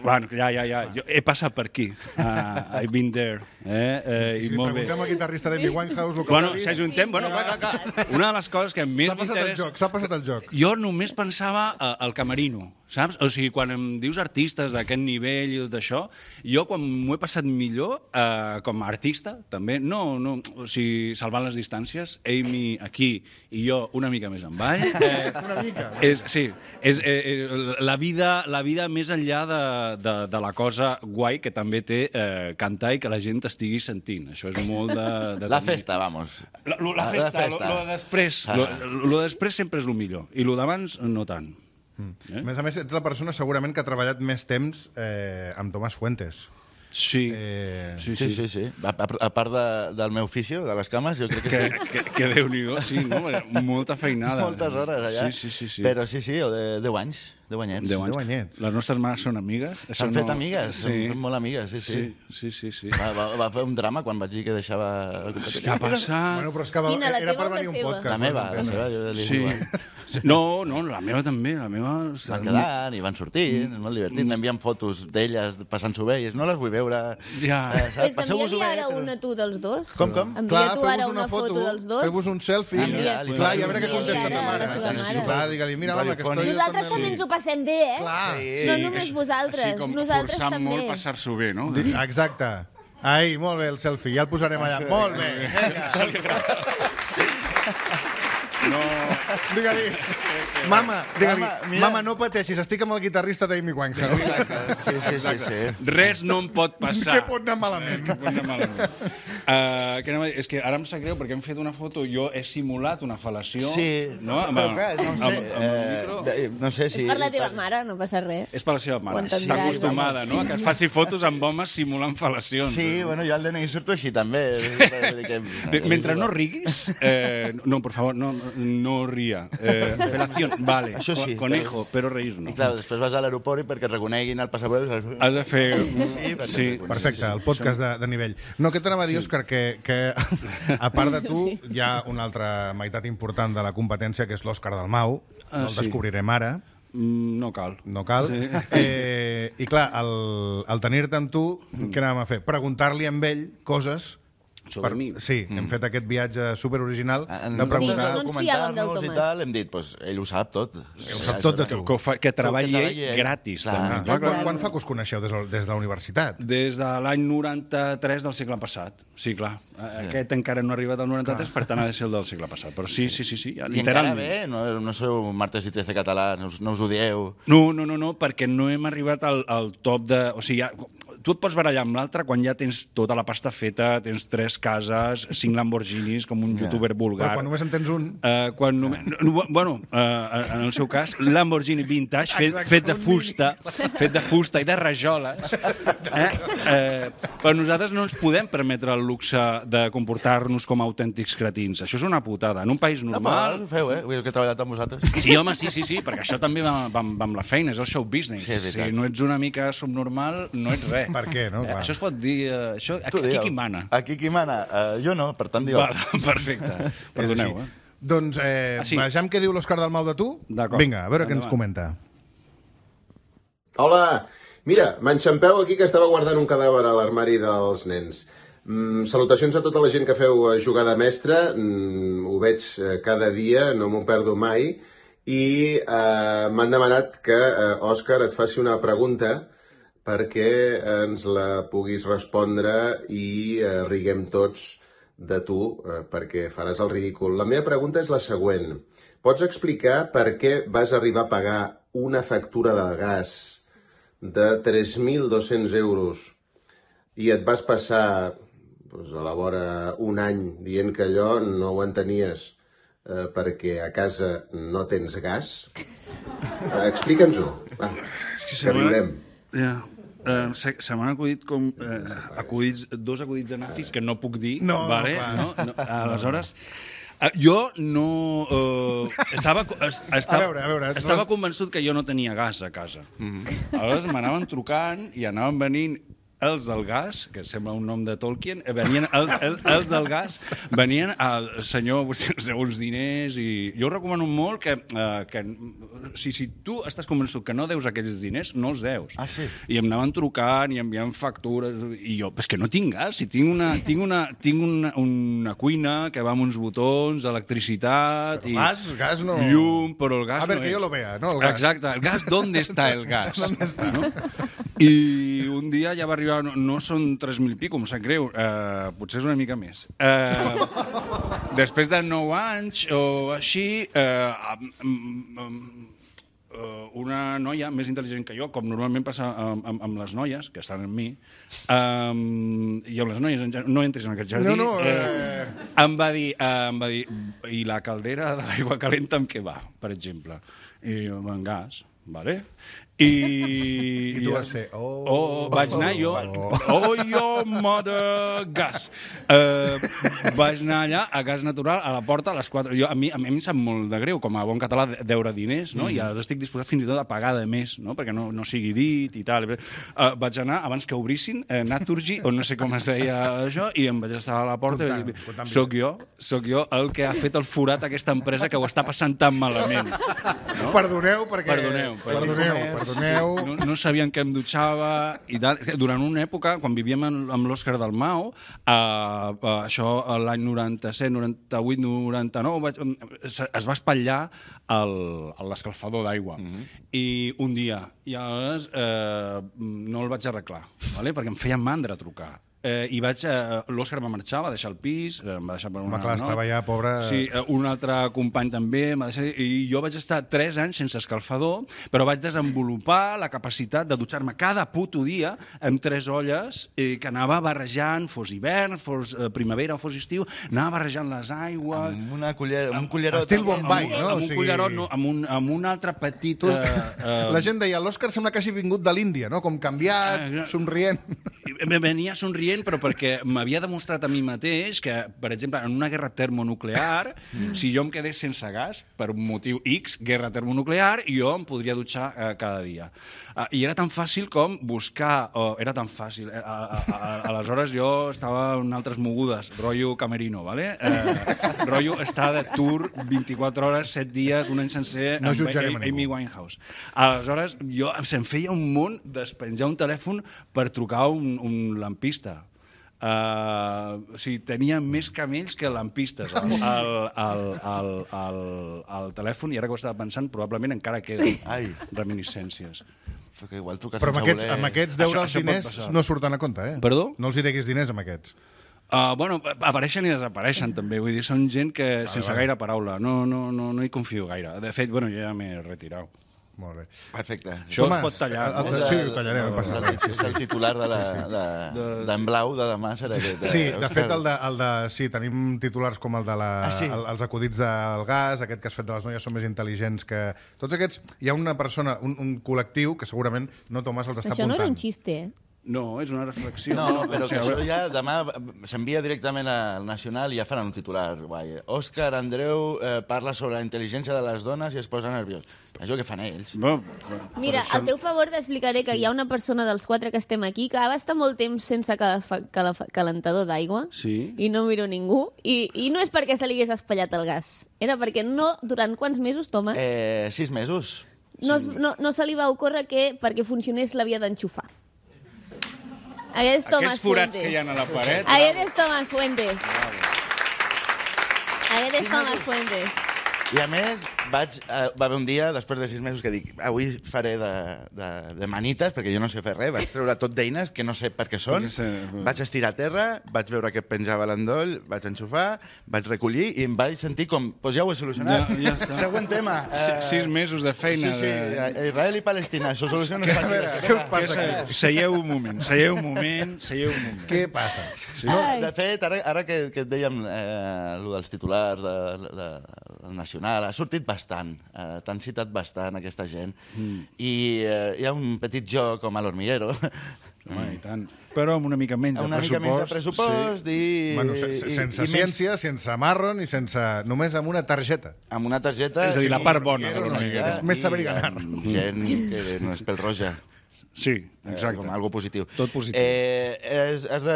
Bueno, ja, ja, ja. Jo he passat per aquí. Uh, I've been there. Eh? Uh, I si i li molt bé. preguntem al guitarrista d'Amy Winehouse el que Bueno, ha vist... si ajuntem... Bueno, clar, clar, clar. Una de les coses que més S'ha passat el m'interessa... joc, s'ha passat el joc. Jo només pensava uh, al camerino, saps? O sigui, quan em dius artistes d'aquest nivell i tot això, jo quan m'ho he passat millor, uh, com a artista, també, no, no, o sigui, salvant les distàncies, Amy aquí i jo una mica més en ball. Eh, Una mica. és, sí, és eh, eh, la, vida, la vida més enllà de, de, de la cosa guai que també té eh, cantar i que la gent estigui sentint. Això és molt de... de La festa, vamos. La, lo, la, La festa, festa. Lo, lo de després. Ah. Lo, lo de després sempre és el millor. I lo d'abans, no tant. Mm. Eh? A més a més, ets la persona segurament que ha treballat més temps eh, amb Tomàs Fuentes. Sí. Eh... Sí, Sí, sí, sí. A, a, a part de, del meu ofici, de les cames, jo crec que Que, sí. que, que Déu-n'hi-do, sí, no? Molta feinada. Moltes hores allà. Sí, sí, sí. sí. Però sí, sí, o de deu anys, deu anyets. Deu anys. Deu anyets. Les nostres mares són amigues. Això S'han no... fet amigues, Sí. són molt amigues, sí, sí. Sí, sí, sí. sí. Va, va, va fer un drama quan vaig dir que deixava... Què ha passat? Bueno, però és que va, Quina, la era teva per o la venir un seva? podcast. La meva, no la entendre. seva, jo li Sí. dic... No, no, la meva també, la meva... Van quedant i van sortint, és molt divertit. M'envien fotos d'elles passant-s'ho bé i és, no les vull veure... Ja. Eh, saps? Pues Passeu-vos-ho envia-li bé, ara però- una tu dels dos. Com, com? Envia Clar, tu ara feu-vos una foto dels dos. feu-vos un selfie. Ah, mira, li clar, faig i a veure un què contesta selfie ta a mare. la seva mare. Clar, digue-li, mira, home, que estoy... Nosaltres con també el- ens ho passem bé, eh? Clar. Sí. No només vosaltres, Així com nosaltres forçant també. molt passar-s'ho bé, no? Exacte. Ai, molt bé el selfie, ja el posarem allà. Molt bé, vinga. No... Digue-li, mama, digue-li, Mama, mira. mama, no pateixis, estic amb el guitarrista d'Amy Winehouse. Exacte. Sí, sí, sí, sí. Res no em pot passar. Què pot anar malament? Què pot anar malament? Uh, que anava a dir? És que ara em sap greu perquè hem fet una foto, jo he simulat una fal·lació. Sí, no? Amb, però clar, no amb, sé, amb, amb el micro. eh, no sé si... És per la teva mare, no passa res. És per la seva mare. Ho entendràs, Està acostumada, no?, a que es faci fotos amb homes simulant fal·lacions. Sí, bueno, jo al D N I surto així també. Vull dir que- Bé, Mentre no riguis, eh, no, por favor, no, no ria. Eh, felación, vale. Això sí, Conejo, però reís no. I clar, després vas a l'aeroport i perquè et reconeguin el passaport... Has de fer... Sí, perquè Sí. et Perfecte, el podcast de, de nivell. No, què t'anava a dir, Òscar, que, que a part de tu hi ha una altra meitat important de la competència, que és l'Òscar Dalmau. Ah, No el sí. descobrirem ara. Mm, No cal. No cal. Sí. Eh, I clar, el, el tenir-te amb tu, què anàvem a fer? Preguntar-li amb ell coses... Sobre mi. Sí, hem fet aquest viatge superoriginal En de comptes preguntar... no ens fiàvem del comentar-nos i Tomàs. tal, hem dit, pues, ell ho sap tot. Ell ho sap tot de tu. Que, ho fa, que treballi Que ell treballi ell. gratis, Clar. també. Clar, quan, quan fa que us coneixeu des, de- des de la universitat? Des de l'any noranta-tres del segle passat. Sí, clar. Aquest encara no ha arribat al noranta-tres, per tant ha de ser el del segle passat. Però sí, sí, sí, sí, I encara literalment. bé, no, no sou martes i trece català, no us, no us odieu. No, no, no, no, perquè no hem arribat al, al top de... O sigui, ja, tu et pots barallar amb l'altre quan ja tens tota la pasta feta, tens tres cases, cinc Lamborghinis, com un youtuber vulgar. Però quan només en tens un... Uh, quan només, no, bueno, uh, en el seu cas, Lamborghini vintage, fet, Exacte, fet de un fusta, fet de fusta i de rajoles. Eh? Uh, però nosaltres no ens podem permetre el luxe de comportar-nos com a autèntics cretins. Això és una putada. En un país No, però normal... ho feu, eh? Vull dir que he treballat amb vosaltres. Sí, home, sí, sí, sí, perquè això també va, va, va amb la feina, és el show business. Sí, és veritat. si no ets una mica subnormal, no ets res. Per què, no? Eh, Clar. això es pot dir... Eh, això, aquí, Tu aquí digue-ho. qui mana? Aquí qui mana? Uh, jo no, per tant, digue-ho. Val, perfecte. Perdoneu, És eh? així. Doncs eh, Ah, sí. vejam què diu l'Òscar Dalmau de tu. D'acord. Vinga, a veure què ens Endavant. comenta. Hola, mira, m'enxampeu aquí que estava guardant un cadàver a l'armari dels nens. Mm, salutacions a tota la gent que feu eh, jugada mestra, mm, ho veig eh, cada dia, no m'ho perdo mai, i eh, m'han demanat que, eh, Òscar, et faci una pregunta perquè ens la puguis respondre i eh, riguem tots de tu, eh, perquè faràs el ridícul. La meva pregunta és la següent. Pots explicar per què vas arribar a pagar una factura de gas de tres mil dos-cents euros i et vas passar doncs, a la vora un any dient que allò no ho entenies eh, perquè a casa no tens gas? Eh, Explica'ns-ho, va, És que que sembla- riurem. Ja. eh, se, se m'han acudit com eh, acudits, dos acudits de nazis que no puc dir, No, vale? clar. No, no, aleshores... eh, Jo no... Eh, estava, es- estava, A veure, a veure, estava no- convençut que jo no tenia gas a casa. Mm-hmm. Aleshores m'anaven trucant i anaven venint els del gas, que sembla un nom de Tolkien, eh, venien el, el, els del gas venien al senyor segons diners i jo recomano molt que, eh, que si, si tu estàs convençut que no deus aquells diners, no els deus. Ah, sí? I em anaven trucant i enviant factures i jo, és que no tinc gas, si tinc una, tinc una, tinc una, una cuina que va amb uns botons, electricitat Però i gas, gas no- llum, però el gas A ver, no que és. yo lo vea, ¿no? El gas. Exacte, el gas, ¿dónde está el gas? ¿Dónde está? No? I un dia ja va arribar, no, no són tres mil pico, em sap greu, eh, potser és una mica més. Eh, després de nou anys o així, eh, amb, amb, eh, una noia més intel·ligent que jo, com normalment passa amb, amb, amb les noies, que estan amb mi, eh, i amb les noies, en gen- no entris en aquest jardí, No, no, eh, eh... em va dir, eh, em va dir, i la caldera de l'aigua calenta amb què va, per exemple? I jo, amb gas, vale? I, I tu vas fer, oh, oh, vaig anar jo, oh. oh, jo, mother, gas. Uh, vaig anar allà a gas natural, a la porta, a les quatre. Jo, a, mi, a mi em sap molt de greu, com a bon català, de- deure diners, no? Mm. I ara estic disposat fins i tot a pagar de més, no? Perquè no, no sigui dit i tal. Uh, vaig anar, abans que obrissin, uh, Naturgy, o no sé com es deia això, i em vaig estar a la porta Comptant, i comptant dir, soc jo, soc jo el que ha fet el forat a aquesta empresa que ho està passant tan malament. No? Perdoneu, perquè... Perdoneu, perdoneu, perdoneu. perdoneu. No, no sabien que em dutxava i tal. És que durant una època, quan vivíem en, amb l'Òscar Dalmau, eh, eh, això l'any noranta-set, noranta-vuit, noranta-nou, vaig, es, es va espatllar el- l'escalfador d'aigua. Mm-hmm. I un dia, i aleshores eh, no el vaig arreglar, vale? Perquè em feia mandra trucar. Eh, i vaig, eh, l'Òscar va marxar, va deixar el pis, eh, em va deixar per una... Home, clar, no? estava ja, pobre... Sí, eh, un altre company també, em va deixar, i jo vaig estar tres anys sense escalfador, però vaig desenvolupar la capacitat de dutxar-me cada puto dia amb tres olles eh, que anava barrejant, fos hivern, fos eh, primavera o fos estiu, anava barrejant les aigües... Amb una cullera, amb un cullerot. Estil també. Bombay, amb, no? amb O un sigui- cullerot, no, amb, un, amb un altre petit... Tu, Eh, eh, la gent deia, l'Òscar sembla que hagi vingut de l'Índia, no? Com canviat, Ah, somrient. Me venia somrient, però perquè m'havia demostrat a mi mateix que, per exemple, en una guerra termonuclear, si jo em quedés sense gas, per un motiu X, guerra termonuclear, jo em podria dutxar eh, cada dia. Uh, I era tan fàcil com buscar... Oh, era tan fàcil. Eh, a, a, a, aleshores jo estava en altres mogudes, rotllo camerino, ¿vale? Eh, rotllo estar de tour vint-i-quatre hores, set dies, un any sencer, No amb jutjarem a Amy ningú. Winehouse. Aleshores, jo se'm feia un món despenjar un telèfon per trucar un, un lampista. Uh, o sigui, tenia més camells que lampistes al, al, al, al, al, al telèfon, i ara que ho estava pensant, probablement encara queden Ai. reminiscències. Però que igual trucar Però amb sense aquests, voler... amb aquests deure Això- els això pot diners passar. no surten a compte, eh? Perdó? No els hi deguis diners amb aquests. Uh, bueno, apareixen i desapareixen, també. Vull dir, són gent que, sense vale. gaire paraula, no, no, no, no hi confio gaire. De fet, bueno, jo ja m'he retirat. Molt bé. Perfecte. Això Tomàs, es pot tallar, el- no? el- Sí, ho tallarem, no passa és el, res. és el titular de la, de, d'en Blau de demà serà aquest. Sí, eh, de Òscar. fet, el de, el de, sí, tenim titulars com el de la, Ah, sí? el, els acudits del gas, aquest que has fet de les noies són més intel·ligents que... Tots aquests, hi ha una persona, un, un col·lectiu que segurament no Tomàs els està Això no apuntant. era un xiste, eh? No, és una reflexió. No, però o que sigui, a això veure, ja demà s'envia directament al Nacional i ja faran un titular. Guai. Òscar Andreu eh, parla sobre la intel·ligència de les dones i es posa nerviós. Això que fan ells. bueno, Mira, però al teu favor t'explicaré que hi ha una persona dels quatre que estem aquí que va estar molt temps sense calafa- calafa- calentador d'aigua Sí. i no miro ningú. I, I no és perquè se li hagués espatllat el gas. Era perquè no... Durant quants mesos, Tomàs? Eh, sis mesos. no, es- no, no se li va ocórrer que perquè funcionés l'havia d'enxufar. Aquest és Tomàs Aquests forats Fuentes. que hi ha a la paret... Aquest és Tomàs Fuentes. Aquest és Tomàs Fuentes. I a més, vaig, eh, va haver un dia, després de sis mesos, que dic, avui faré de, de, de manites, perquè jo no sé fer res, vaig treure tot d'eines que no sé per què són, Perquè sé- vaig estirar a terra, vaig veure que penjava l'endoll, vaig enxufar, vaig recollir i em vaig sentir com, doncs ja ho he solucionat. Ja- ja està. Següent tema. Si- sis mesos de feina. Sí, sí, de- Israel i Palestina, això soluciona Què, a fàcil. veure, què us passa aquí? Seieu un moment, seieu un moment, seieu un moment. Què passa? No, de fet, ara, ara que, que et dèiem eh, el dels titulars de, de, el Nacional, ha sortit bastant, eh, t'han citat bastant aquesta gent, mm. i eh, hi ha un petit joc com a l'Hormiguero, home, i tant. Però amb una mica menys de una pressupost. mica menys de pressupost sí. i... Bueno, se, se, i, sense i ciència, menys... sense marron i sense... només amb una targeta. Amb una targeta... És a dir, la part bona de l'Hormiguero. És més saber ganar. Gent que no és pel roja. Sí, exacte. Eh, com algo positiu. Tot positiu. Eh, has, has de...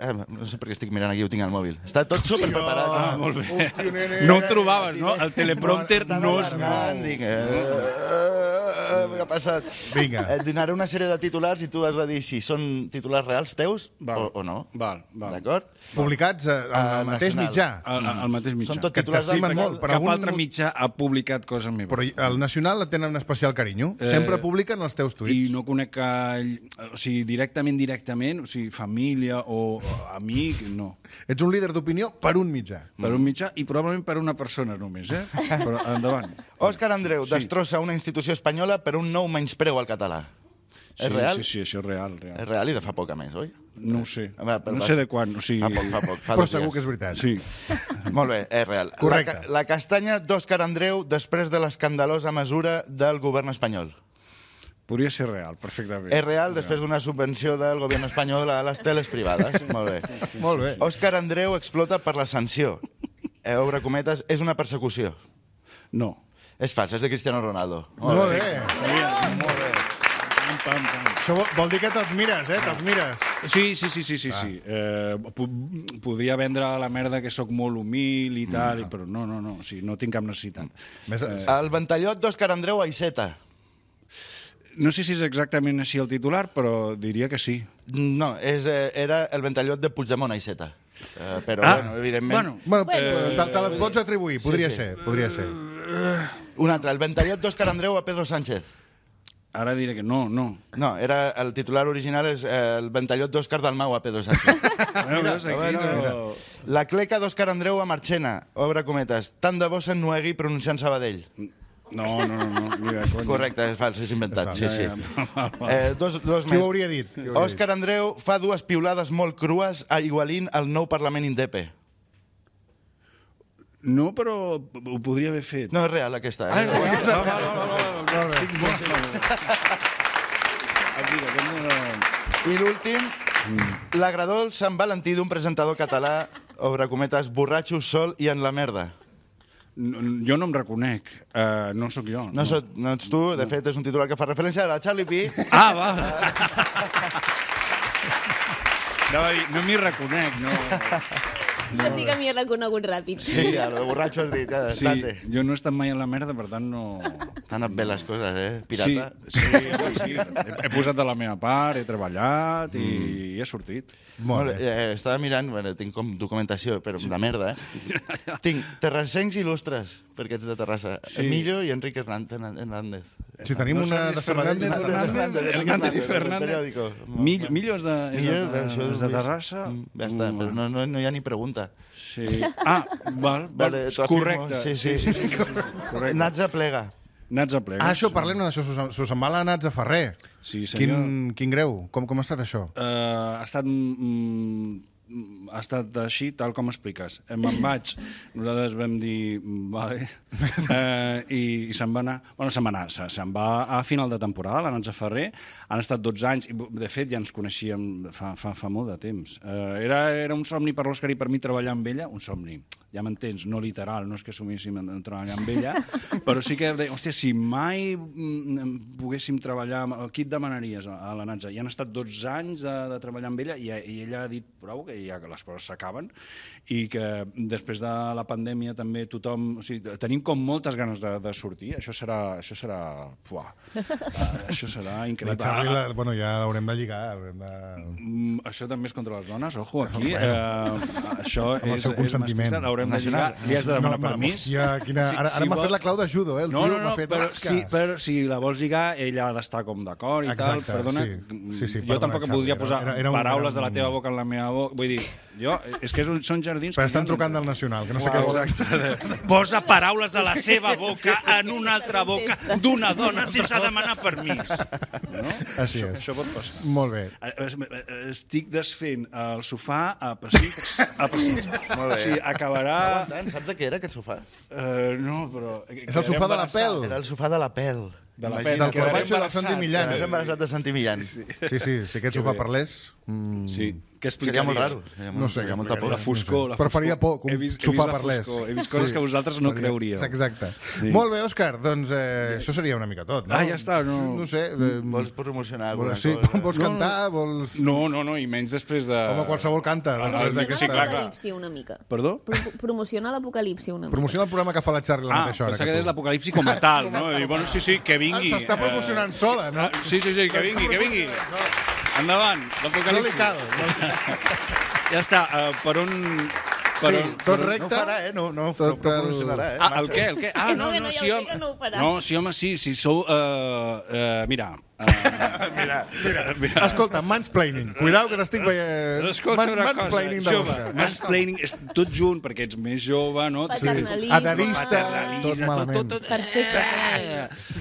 Eh, no sé per què estic mirant aquí, ho tinc al mòbil. Està tot super preparat. Ah, molt bé. Hòstia, nene. No ho trobaves, no? El teleprompter no es mou. Dic, eh, eh, què ha passat? Vinga. Et donaré una sèrie de titulars i tu has de dir si són titulars reals teus Val. o, o no. Val, val. D'acord? Publicats al Ah, mateix Nacional. mitjà. Al, al mateix mitjà. Són tot Que titulars t'estimen del- molt, però Cap algun- altre mitjà ha publicat cosa meva. Però el Nacional et tenen un especial carinyo. Sempre Eh, publiquen els teus I tuits. no conec que... O sigui, directament, directament, o sigui, família o amic, no. Ets un líder d'opinió per un mitjà. Per un mitjà i probablement per una persona només, eh? Però endavant. Òscar Andreu Sí. destrossa una institució espanyola per un nou menyspreu al català. Sí, És real? Sí, sí, això és real, És real. real i de fa poc, a més, oi? No ho sé. A veure, però No vas- sé de quan, o sigui... Fa poc, fa poc. Fa Però dos segur dies. que és veritat. Sí. Molt bé, és real. Correcte. La, ca- la castanya d'Òscar Andreu després de l'escandalosa mesura del govern espanyol. Podria ser real, perfectament. És real després d'una subvenció del govern espanyol a les teles privades. Molt bé. Molt bé. Òscar Andreu explota per la sanció. Eh, obre cometes, és una persecució. No. És fals, és de Cristiano Ronaldo. Molt bé. Molt bé. Pam, pam, pam. Això vol, vol dir que te'ls mires, eh? Te'ls mires. Sí, sí, sí, sí, sí, sí. Eh, po podria vendre la merda que sóc molt humil i tal, no. Però no, no, no, o sigui, no tinc cap necessitat. Més, eh, El ventallot d'Òscar Andreu a Iceta. No sé si és exactament així el titular, però diria que sí. No, és, eh, era el ventallot de Puigdemont a Iceta. Eh, però, Ah, bueno, evidentment... bueno. bueno, Bueno. eh, te, te la pots atribuir, podria sí. ser, podria ser. Un altre, el ventallot d'Òscar Andreu a Pedro Sánchez. Ara diré que no, no. No, era, el titular original és eh, el ventallot d'Òscar Dalmau a Pedro Sánchez. Mira, veus, aquí bueno, no... mira. La cleca d'Òscar Andreu a Marchena, obre cometes. Tant de bo s'ennuegui pronunciant Sabadell. No, no, no, no, mira, cony. Correcte, és fals, és inventat. És Sí, fals. sí. Ja, ja, val, val. Eh, dos, dos Qui més. ho hauria dit? Qui ho hauria Òscar Andreu fa dues piulades molt crues a Igualín al nou Parlament Indepe. No, però ho podria haver fet. No és real, aquesta. Ah, Eh? és real? Va, va, va, va, va. Estic bo. Aquí, aquest no era- I l'últim, l'agradol Sant Valentí d'un presentador català, obre cometes, borratxo, sol i en la merda. No, jo no em reconec. Uh, no sóc jo. No, no. no ets tu, de fet és un titular que fa referència a la Charlie P. Ah, val. Anava a dir, no m'hi reconec, no. Jo sí que m'hi he reconegut ràpid. Sí, sí, el borratxo has dit, eh? Sí, Estate. jo no he estat mai en la merda, per tant no... T'han anat bé les coses, eh? Pirata. Sí, sí, home, sí. He, he posat de la meva part, he treballat i, Mm. i he sortit. Molt bé. Eh, estava mirant, bueno, tinc com documentació, però la merda, eh? Tinc terrassencs il·lustres, perquè ets de Terrassa. Sí. Emilio i Enrique Hernández. Si tenim No una sabies de Sabadell... Fernández, Fernández, Hernández, Hernández, Hernández i del Fernández. periòdico. Millo, Millo és de, és Millo, de, això és és de més- Terrassa. Mm, Ja està, però no, no, no hi ha ni pregunta. Sí. Ah, val, val. Vale, t'ho afirmo. Correcte. Sí, sí. sí, sí, sí, correcte. Nats a plega. Nats a plega. Ah, això, parlem d'això. S'us s'us en va la Nats a Ferrer. Sí, senyor. Quin, quin greu. Com, com ha estat això? Uh, ha estat mm, ha estat així, tal com expliques. Eh, Me'n vaig, nosaltres vam dir, mm, vale, eh, i, i se'n va anar, bueno, se'n va anar, se- se'n va a final de temporada, la Nats a Ferrer, han estat dotze anys, i de fet ja ens coneixíem fa, fa, fa molt de temps. Eh, era, era un somni per l'Òscar i per mi treballar amb ella, un somni, ja m'entens, no literal, no és que assumíssim en, en treballar amb ella, però sí que, deia, hòstia, si mai mm, poguéssim treballar, amb- qui et demanaries a, a la Natza? I han estat dotze anys de, de treballar amb ella i, i ella ha dit prou, que ja que les coses s'acaben i que després de la pandèmia també tothom... O sigui, tenim com moltes ganes de, de sortir. Això serà... Això serà... Fuà. Uh, això serà La increïble. Charlie, la, bueno, ja l'haurem de lligar. Haurem de... Mm, això també és contra les dones, ojo, aquí. Eh, això Amb el és, seu és consentiment. masclista, l'haurem de lligar. Nacional. Li has de demanar No, permís. hòstia, quina... Sí, Ara, si ara m'ha vol- fet la clau de judo, eh? El No, tio no, m'ha no, fet però, rasca. sí, però si la vols lligar, ella ha d'estar com d'acord i Exacte, tal. Perdona, sí. Sí, sí, jo perdona, tampoc em Xavi, voldria era- posar era- era un- paraules era un- de la teva boca en la meva boca. Vull dir, Jo, és que són jardins... Però que estan jo no trucant del entenc. Nacional, que no sé què volen. Exacte. Posa paraules a la seva boca en una altra boca d'una dona sense demanar permís. No? Així Això, és. això pot passar. Molt bé. Estic desfent el sofà a pessics. A pessics. Molt bé. O sigui, acabarà... Aguantant, saps de què era aquest sofà? Uh, no, però... És el sofà de la pèl. Era el sofà de la pèl. De la Del pèl. Corbacho i del Santi Millán. Estàs embarassat de Santi Millán. Sí, sí, si aquest sofà parlés... Mm, Sí. Què Seria molt raro. explicaries? Seria No molt, sé, seria molta por. La foscor, la Però faria por, que un He vist- he sofà vist la parlés. foscor, He vist coses Sí. que vosaltres no Faria- creuríeu. Exacte. Sí. Molt bé, Òscar, doncs eh, això seria una mica tot, no? Ah, ja està, no- No sé. Eh, Vols promocionar alguna vols, sí, cosa? vols cantar? Vols... No, no, no, i menys després de... Home, qualsevol canta. Ah, després de que d'aquesta- sí, clar, clar. l'apocalipsi una mica. Perdó? Pro Promociona l'apocalipsi una mica. Promociona el programa que fa la Charlie a la Ah, mateixa hora. pensava que deies l'apocalipsi com a tal, no? I, bueno, sí, sí, que vingui. Ah, s'està promocionant sola, no? Ah, sí, sí, sí, que vingui, que vingui. Endavant, No li l'apocalipsi. cal. No... Ja està, uh, per on... Per Sí, on, tot per on- recte. No ho farà, eh? No, no, Tot no promocionarà, eh? Ah, el què, el què? Ah, Que no, no, que no, no, ja sí, ho sé home. que no ho farà. No, sí, home, sí, si sou... Uh, uh, mira... Uh, Mira, mira, mira. Escolta, mansplaining. Cuidao que t'estic veient. Escolta una cosa, mansplaining de jove, l'Òscar. mansplaining, és tot junt, perquè ets més jove, no? Paternalisme. Adadista, tot malament. Perfecte.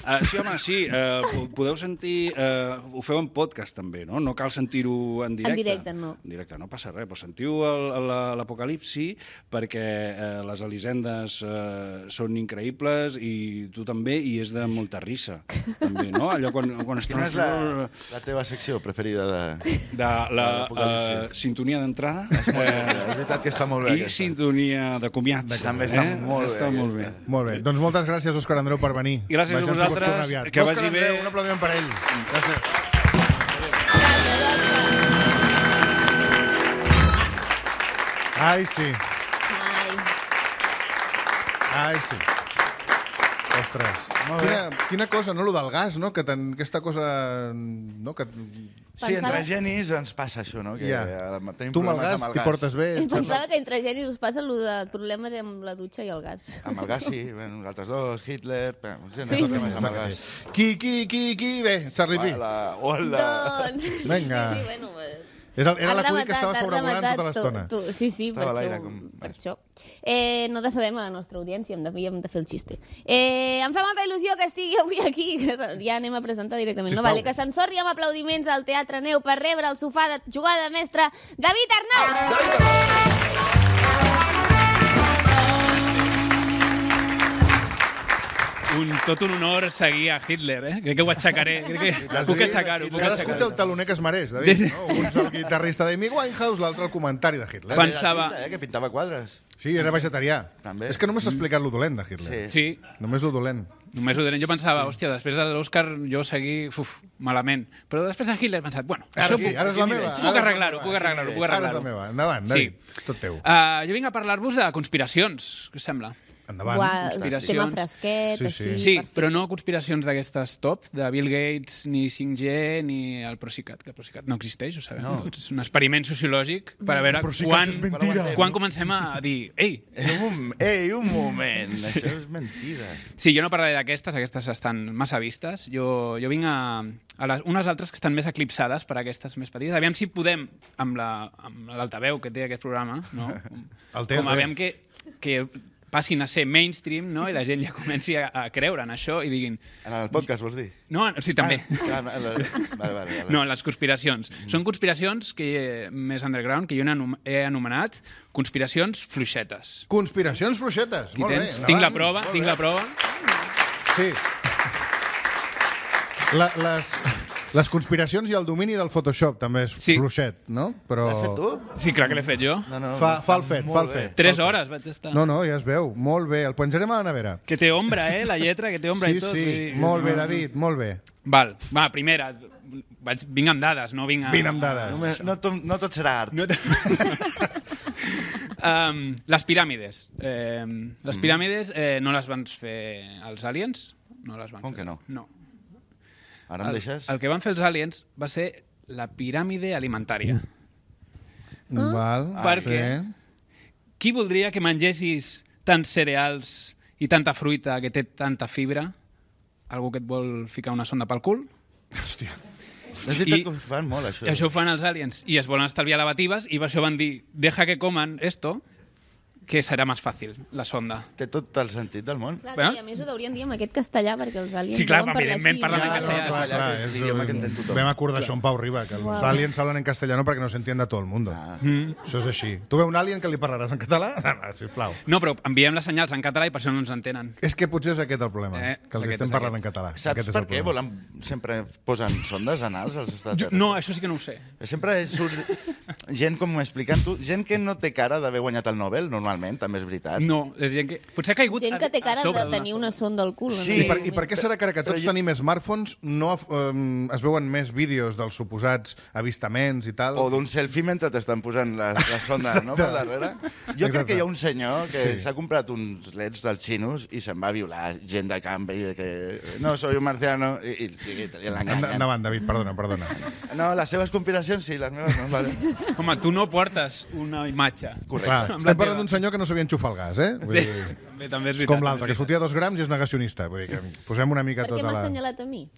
Uh, sí, home, sí, uh, podeu sentir... Uh, ho feu en podcast, també, no? No cal sentir-ho en directe. En directe, no. En directe, no passa res, però sentiu el- el- l'Apocalipsi perquè uh, les Elisendes uh, són increïbles i tu també, i és de molta risa, també, no? Allò quan, quan es quina és la, la teva secció preferida de... de la l'Apocalipsi? uh, sintonia d'entrada És veritat que està molt bé, i aquesta. sintonia de comiat. També està molt bé, Està molt bé. aquesta. Molt bé. Doncs moltes gràcies, Òscar Andreu, per venir. Gràcies a Vejam si pots vosaltres, tornar aviat. que Òscar vagi bé. Andreu, un aplaudiment per ell. Gràcies. Ai, sí. Ai. Ai, sí. Ostres. Quina, quina cosa, no?, lo del gas, no?, que ten, aquesta cosa... No, que... Sí, Pensava- entre genis ens passa això, no? Que Ja. eh, tenim Tu amb el problemes gas t'hi portes bé. Pensava que entre genis us passa el de problemes amb la dutxa i el gas. Amb el gas, sí. Bueno, nosaltres dos, Hitler... Bé, sí, Sí. sí. Problemes amb el gas. Qui, qui, qui, qui? Bé, Charlie P. Hola, hola. Doncs... sí, Vinga. Sí, sí, bueno, pues... És el, era Has l'acudit que rematat, estava has sobrevolant rematat tota l'estona. tu- tu- Sí, sí, per Estava a això. l'aire com- Per això. Eh, no decebem a la nostra audiència, hem de, hem de fer el xiste. Eh, em fa molta il·lusió que estigui avui aquí, que ja anem a presentar directament. No, Sisplau. vale, que s'ensorri amb aplaudiments al Teatre Neu per rebre el sofà de jugada de mestre David Arnau! Un, tot un honor seguir a Hitler, eh? Crec que ho aixecaré. Crec que puc aixecar-ho, puc Cadascú té aixecar-ho. el taloner que es mereix, David. No? Un és el guitarrista d'Amy Winehouse, l'altre el comentari de Hitler. Quan- Pensava- Era artista, eh, que pintava quadres. Sí, era vegetarià. També. És que només s'ha explicat lo dolent de Hitler. Sí. Sí, Només lo dolent. només ho diré. Jo pensava, hòstia, després de l'Òscar jo seguir, uf, malament. Però després de Hitler he pensat, bueno, Ara això sí, puc, ara és la meva. puc ara és la arreglar-ho, meva. puc arreglar-ho, puc Ara és la arreglar-ho. meva. Endavant, Sí. David. Tot teu. Uh, jo vinc a parlar-vos de conspiracions, què us sembla? Endavant. Buah, conspiracions. tema fresquet, Sí, així... sí. Sí, perfecte. però no conspiracions d'aquestes top, de Bill Gates, ni cinc G, ni el Procicat, que el Procicat no existeix, ho sabem. No. És un experiment sociològic per a veure Procicat quan, és mentira. quan comencem a dir ei, Ei, un, ei, un moment, això és mentida. sí, jo no parlaré d'aquestes, aquestes estan massa vistes. Jo, jo vinc a, a les, unes altres que estan més eclipsades per aquestes més petites. Aviam si podem, amb la- amb l'altaveu que té aquest programa, no? El té, el com té. aviam que, que passin a ser mainstream, no? I la gent ja comenci a, a creure en això i diguin... En el podcast, vols dir? No, sí, també. Ah, no, no, vale, vale, vale. No, les conspiracions. Són conspiracions que, eh, més underground que jo n'he he anomenat conspiracions fluixetes. Conspiracions fluixetes. Aquí Molt tens. bé. Tinc la endavant. prova, Molt tinc bé. la prova. Sí. La, les, les conspiracions i el domini del Photoshop també és Sí. fluixet, no? Però... L'has fet tu? Sí, clar que l'he fet jo. No, no, Fa, està fa el fet, molt fa el bé. fet. Tres fa el fet. hores vaig estar. No, no, ja es veu. Molt bé. El penjarem a la nevera. Que té ombra, eh? La lletra, que té ombra Sí, i tot. sí. vull dir- Molt bé, David, molt bé. Val, va, primera. Vaig, vinc amb dades, no vinc a... Vine amb dades. Només, no, to, no tot serà art. No te- um, les piràmides. Eh, les piràmides eh, no les van fer els aliens? No les van Com fer. que no? No. Ara em El, deixes? el que van fer els aliens va ser la piràmide alimentària. Val. Per què? Sí. Qui voldria que mengessis tants cereals i tanta fruita que té tanta fibra? Algú que et vol ficar una sonda pel cul? Hòstia. És veritat que ho fan molt, això. I això ho fan els aliens. I es volen estalviar lavatives i per això van dir, deja que coman esto, que serà més fàcil, la sonda. Té tot el sentit del món. Clar, Bueno. I a més ho deurien dir amb aquest castellà, perquè els aliens Sí, clar, deuen parlar evidentment així. parlen en Ja, castellà. ja, Clar, Clar, que és l'idioma que entén tothom. Vam acordar això amb Pau Riba, que els Wow. aliens hablan en castellano perquè no se entiende todo el mundo. Ah. Mm. Això és així. Tu veus un alien que li parlaràs en català? Ah, sisplau. No, però enviem les senyals en català i per això no ens entenen. És que potser és aquest el problema, Eh, que els aquest estem és parlant aquest. en català. Saps Aquest és per el què problema. volen, sempre posen sondes anals als Jo, extraterrestres? no, això sí que no ho sé. Sempre surt gent com explicant-ho, gent que no té cara d'haver guanyat el Nobel, normalment, també és veritat. No, és gent que... Potser ha caigut Gent a- que té a cara sobre de d'una tenir sonda. una sonda al cul. Sí. en I per, aquell I per què serà que ara que tots tenim smartphones no um, es veuen més vídeos dels suposats avistaments i tal? O d'un selfie mentre t'estan posant les, les sondes, no?, per darrere. Jo Exacte. crec que hi ha un senyor que Sí. s'ha comprat uns leds dels xinos i se'n va violar gent de camp i que no, soy un marciano, i, i, i, i Enda- l'enganyen. Endavant, David, perdona, perdona. No, les seves conspiracions sí, les meves no, vale. Home, tu no portes una imatge. Correcte. Clar, Amb la estem teva. parlant d'un senyor que no sabia enxufar el gas, eh? Vull Sí, dir, bé, també és és veritat. com l'altre, també que és fotia dos grams i és negacionista. Vull dir que posem una mica Per què tota m'ha la... assenyalat a mi?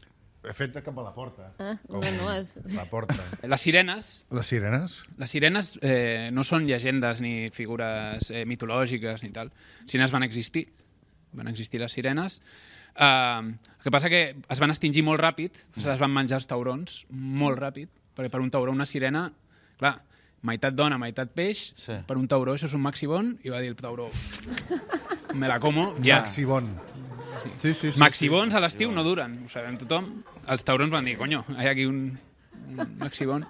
He fet cap a la porta. Ah, Com no, no, és... La porta. veritat. Les sirenes, Les sirenes? les sirenes eh, no són llegendes ni figures eh, mitològiques ni tal. Les sirenes van existir. Van existir les sirenes. Uh, el que passa que es van extingir molt ràpid, mm. es van menjar els taurons molt ràpid, perquè per un tauró una sirena, clar, meitat dona, meitat peix, Sí. per un tauró això és un maxibon, i va dir el tauró, me la como, ja. Maxibon. Sí, sí, sí. Maxibons a l'estiu no duren, ho sabem tothom. Els taurons van dir, coño, hi ha aquí un, un maxibon.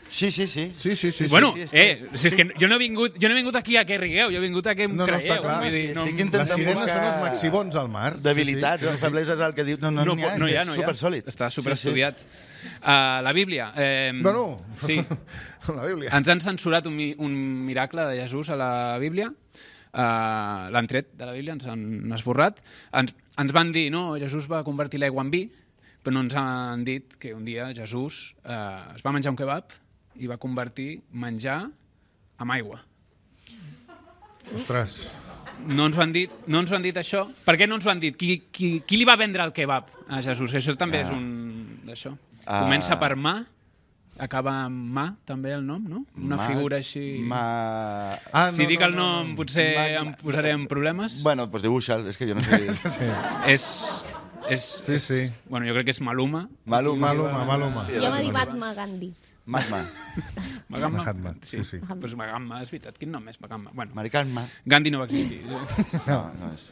Sí, sí, sí. Sí, sí, sí. bueno, sí, és eh, que- si és que jo no he vingut, jo no he vingut aquí a que rigueu, jo he vingut a que em No, no, creieu. està clar. vull dir, Sí, no, estic Les intentant sirenes buscar són els maxibons al mar. debilitats, Sí, sí, sí. sí. febleses al que diu... No, no, no, n'hi ha, no hi ha, és no hi ha. supersòlid. Està Sí, superestudiat. Uh, la Bíblia. Eh, Bueno, sí. la Bíblia. Ens han censurat un, mi- un miracle de Jesús a la Bíblia. Uh, L'han tret de la Bíblia, ens han esborrat. Ens, ens van dir, no, Jesús va convertir l'aigua en vi, però no ens han dit que un dia Jesús uh, es va menjar un kebab i va convertir menjar amb aigua. Ostres. No ens, ho han dit, no ens ho han dit això. Per què no ens ho han dit? Qui, qui, qui li va vendre el kebab a Jesús? Això també Ah. és un... Això. Ah. Comença per mà, acaba amb mà, també el nom, no? Una Ma- figura així... Ma... Ah, si dic el nom, no. potser Ma- em posaré en problemes. Bueno, doncs dibuixa'l, és que jo no sé... Sí, És... és sí. sí. Bueno, jo crec que és Maluma. Maluma. Maluma, Maluma. Sí, Jo m'ha Maluma. dit Mahatma Gandhi. Magma. Magamma. Mahatma, sí, sí. Pues Magamma, és veritat. Quin nom és Magamma? Bueno, Maricanma. Gandhi no va existir. No, no és...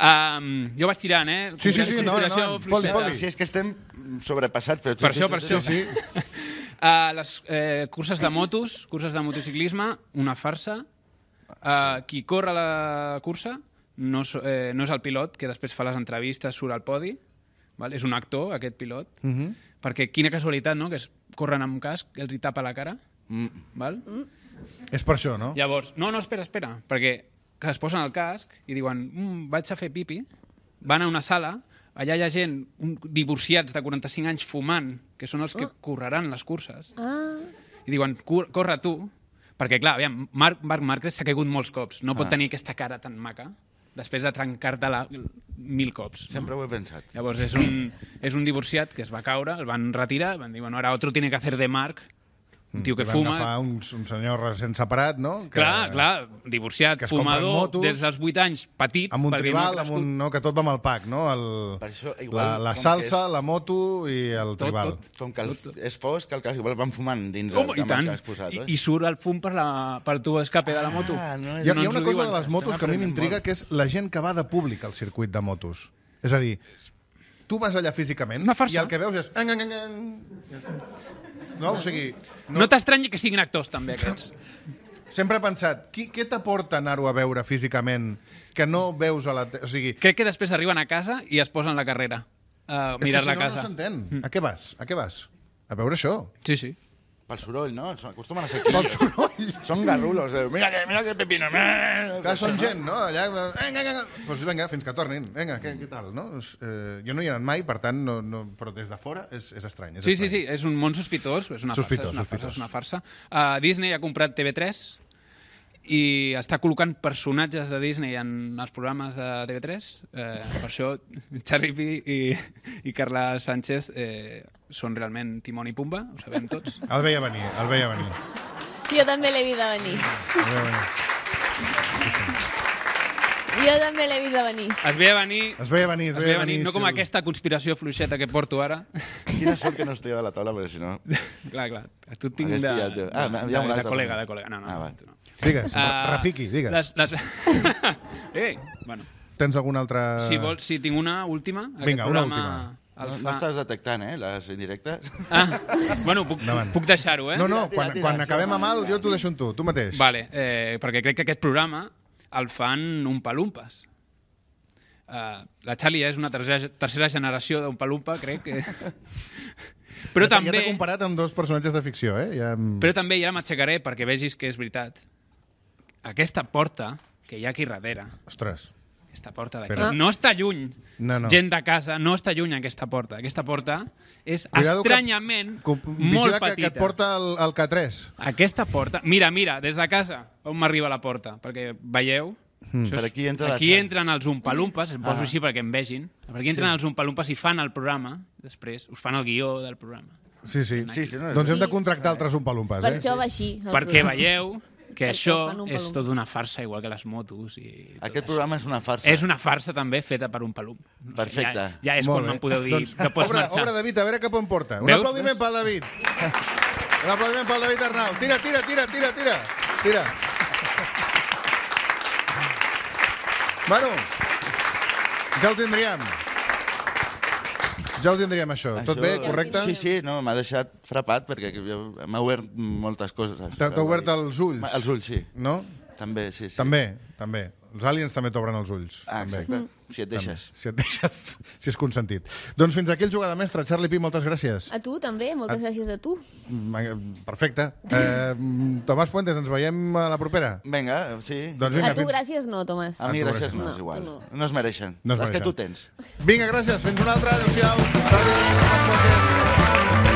Um, jo vaig tirant, eh? Sí, sí, sí, endavant, Inspiració endavant. fluixeta. Foli, foli. Sí, és que estem sobrepassats. Però... Per això, per això. Sí, Uh, les eh, curses de motos, curses de motociclisme, una farsa. Uh, qui corre la cursa no, so- eh, no és el pilot, que després fa les entrevistes, surt al podi. Val? És un actor, aquest pilot. Uh -huh. Perquè quina casualitat, no?, que es corren amb casc, els hi tapa la cara. Mm. Val? És per això, no? Llavors, no, no, espera, espera, perquè que es posen el casc i diuen, mm, vaig a fer pipi, van a una sala, allà hi ha gent, un, divorciats de quaranta-cinc anys fumant, que són els que correran les curses, Ah, i diuen, "Cor- corre tu, perquè clar, aviam, Marc, Marc Márquez s'ha caigut molts cops, no pot Ah. tenir aquesta cara tan maca després de trencar-te-la mil cops. No? Sempre ho he pensat. Llavors és un, és un divorciat que es va caure, el van retirar, van dir, bueno, ara otro tiene que hacer de Marc, un tio que Van fuma. agafar un, un senyor recent separat, no? Que, Clar, clar, divorciat, que es compren fumador, motos, des dels vuit anys, petit, Amb un perquè tribal, no ha amb crescut. un, no, que tot va amb el pack, no? El, Per això, la, igual, la com salsa, que és- la moto i el tribal. tot. Com que el, és fosc, el cas igual van fumant dins Home, el i tant. que has posat. I, Eh? I surt el fum per, la, per tu escape de la moto. Ah, no, Hi ha, no hi ens ha una ho cosa diuen. de les motos que a mi aprenent m'intriga, molt. que és la gent que va de públic al circuit de motos. És a dir, tu vas allà físicament Una farsa. i el que veus és... Ang, ang, ang, ang. No? O sigui, No, no t'estranyi que siguin actors, també, aquests. sempre he pensat, qui, què t'aporta anar-ho a veure físicament que no veus a la... Te... O sigui, Crec que després arriben a casa i es posen la carrera a és que mirar si la no, casa. no s'entén. A què vas? A què vas? A veure això. Sí, sí. Pel soroll, no? Acostumen a ser aquí. Pel soroll. Són garrulos. De, mira que, mira que pepino. Clar, són gent, no? Allà, vinga, vinga, doncs vinga, fins que tornin. Vinga, què, què tal, no? Eh, jo no hi he anat mai, per tant, no, no, però des de fora és, és estrany. És Sí, sí, estrany. sí, és un món sospitós, és una Sospitós, farsa, és una farsa, sospitós. és una farsa. Uh, Disney ha comprat T V tres i està col·locant personatges de Disney en els programes de T V tres. Eh, per això Charlie Pi i, i Carla Sánchez eh, són realment Timon i Pumba, ho sabem tots. El veia venir, el veia venir. Jo també l'he vist a venir. El veia venir. Jo també l'he vist a venir. Es veia venir... Es veia venir, es Es veia veia venir, venir. no com aquesta conspiració fluixeta que porto ara. Quina sort que no estic a la taula, perquè si no... Clar, clar. Tu tinc Hagués de... pillat, tio. Ah, de, hi ha un de, de altre. col·lega, de col·lega. No, no, Ah, va. tu no. Digues, Ah, Rafiki, digues. Les, les... eh, bueno. Tens alguna altra... Si vols, si tinc una última... aquest Vinga, una programa última. el No, fa- no estàs detectant, eh, les indirectes? Ah, bueno, puc, Endavant. puc deixar-ho, eh? No, no, Tira, quan, tira, quan tira, acabem sí, amb el, jo t'ho deixo amb tu, tu mateix. Vale, eh, perquè crec que aquest programa el fan Umpa-Lumpas. Uh, la Charlie és una tercera, tercera generació d'Umpa-Lumpa, crec que... Però ja, també... Ja t'he comparat amb dos personatges de ficció, eh? Ja... Però també, i ara m'aixecaré perquè vegis que és veritat, aquesta porta que hi ha aquí darrere, Ostres. aquesta porta d'aquí, Però- no està lluny, No, no. gent de casa, no està lluny aquesta porta. Aquesta porta és Cuidado que- estranyament Com, molt vigila que, petita. que et porta el, el K tres. Aquesta porta... Mira, mira, des de casa, on m'arriba la porta, perquè veieu... Mm. Això és- Per aquí entra la aquí Charlie. entren els umpalumpas, em poso Ah. així perquè em vegin. Per aquí entren Sí. els umpalumpas i fan el programa, després us fan el guió del programa. Sí, sí. Sí, sí, no, Doncs hem de Sí. contractar altres umpalumpes, Per eh? això va així. el Perquè programa. veieu que Perquè això fan és Oompa tot una farsa, igual que les motos i tot Aquest això. programa és una farsa. És una farsa també feta per un palum. No sé, Perfecte. Ja, ja és Molt quan bé. me'n podeu dir doncs, que pots obre, marxar. Obre, David, a veure cap on porta. Un Veus? aplaudiment Veus? pel David. Un aplaudiment pel David Arnau. Tira, tira, tira, tira, tira. Tira. Bueno, ja ho tindríem. Ja ho tindríem, això. Tot bé, correcte? Sí, sí, no, m'ha deixat frapat perquè jo- m'ha obert moltes coses. T'ha t'ha obert els ulls? Els ulls, sí. No? També, sí, sí. També, també. Els aliens també t'obren els ulls. Ah, també. exacte. Si et deixes. Si et deixes, si és consentit. Doncs fins aquí el Jugada Mestra. Charlie Pi, moltes gràcies. A tu també, moltes gràcies a tu. Mm, Perfecte. Eh, Tomàs Fuentes, ens veiem a la propera? Vinga, sí. Doncs vinga, A tu fins- gràcies no, Tomàs. A mi a tu gràcies gràcies. no, No, és igual. no. No es mereixen. No es Les que mereixen. tu tens. Vinga, gràcies. Fins una altra. Adéu-siau. Adéu, Tomàs Fuentes.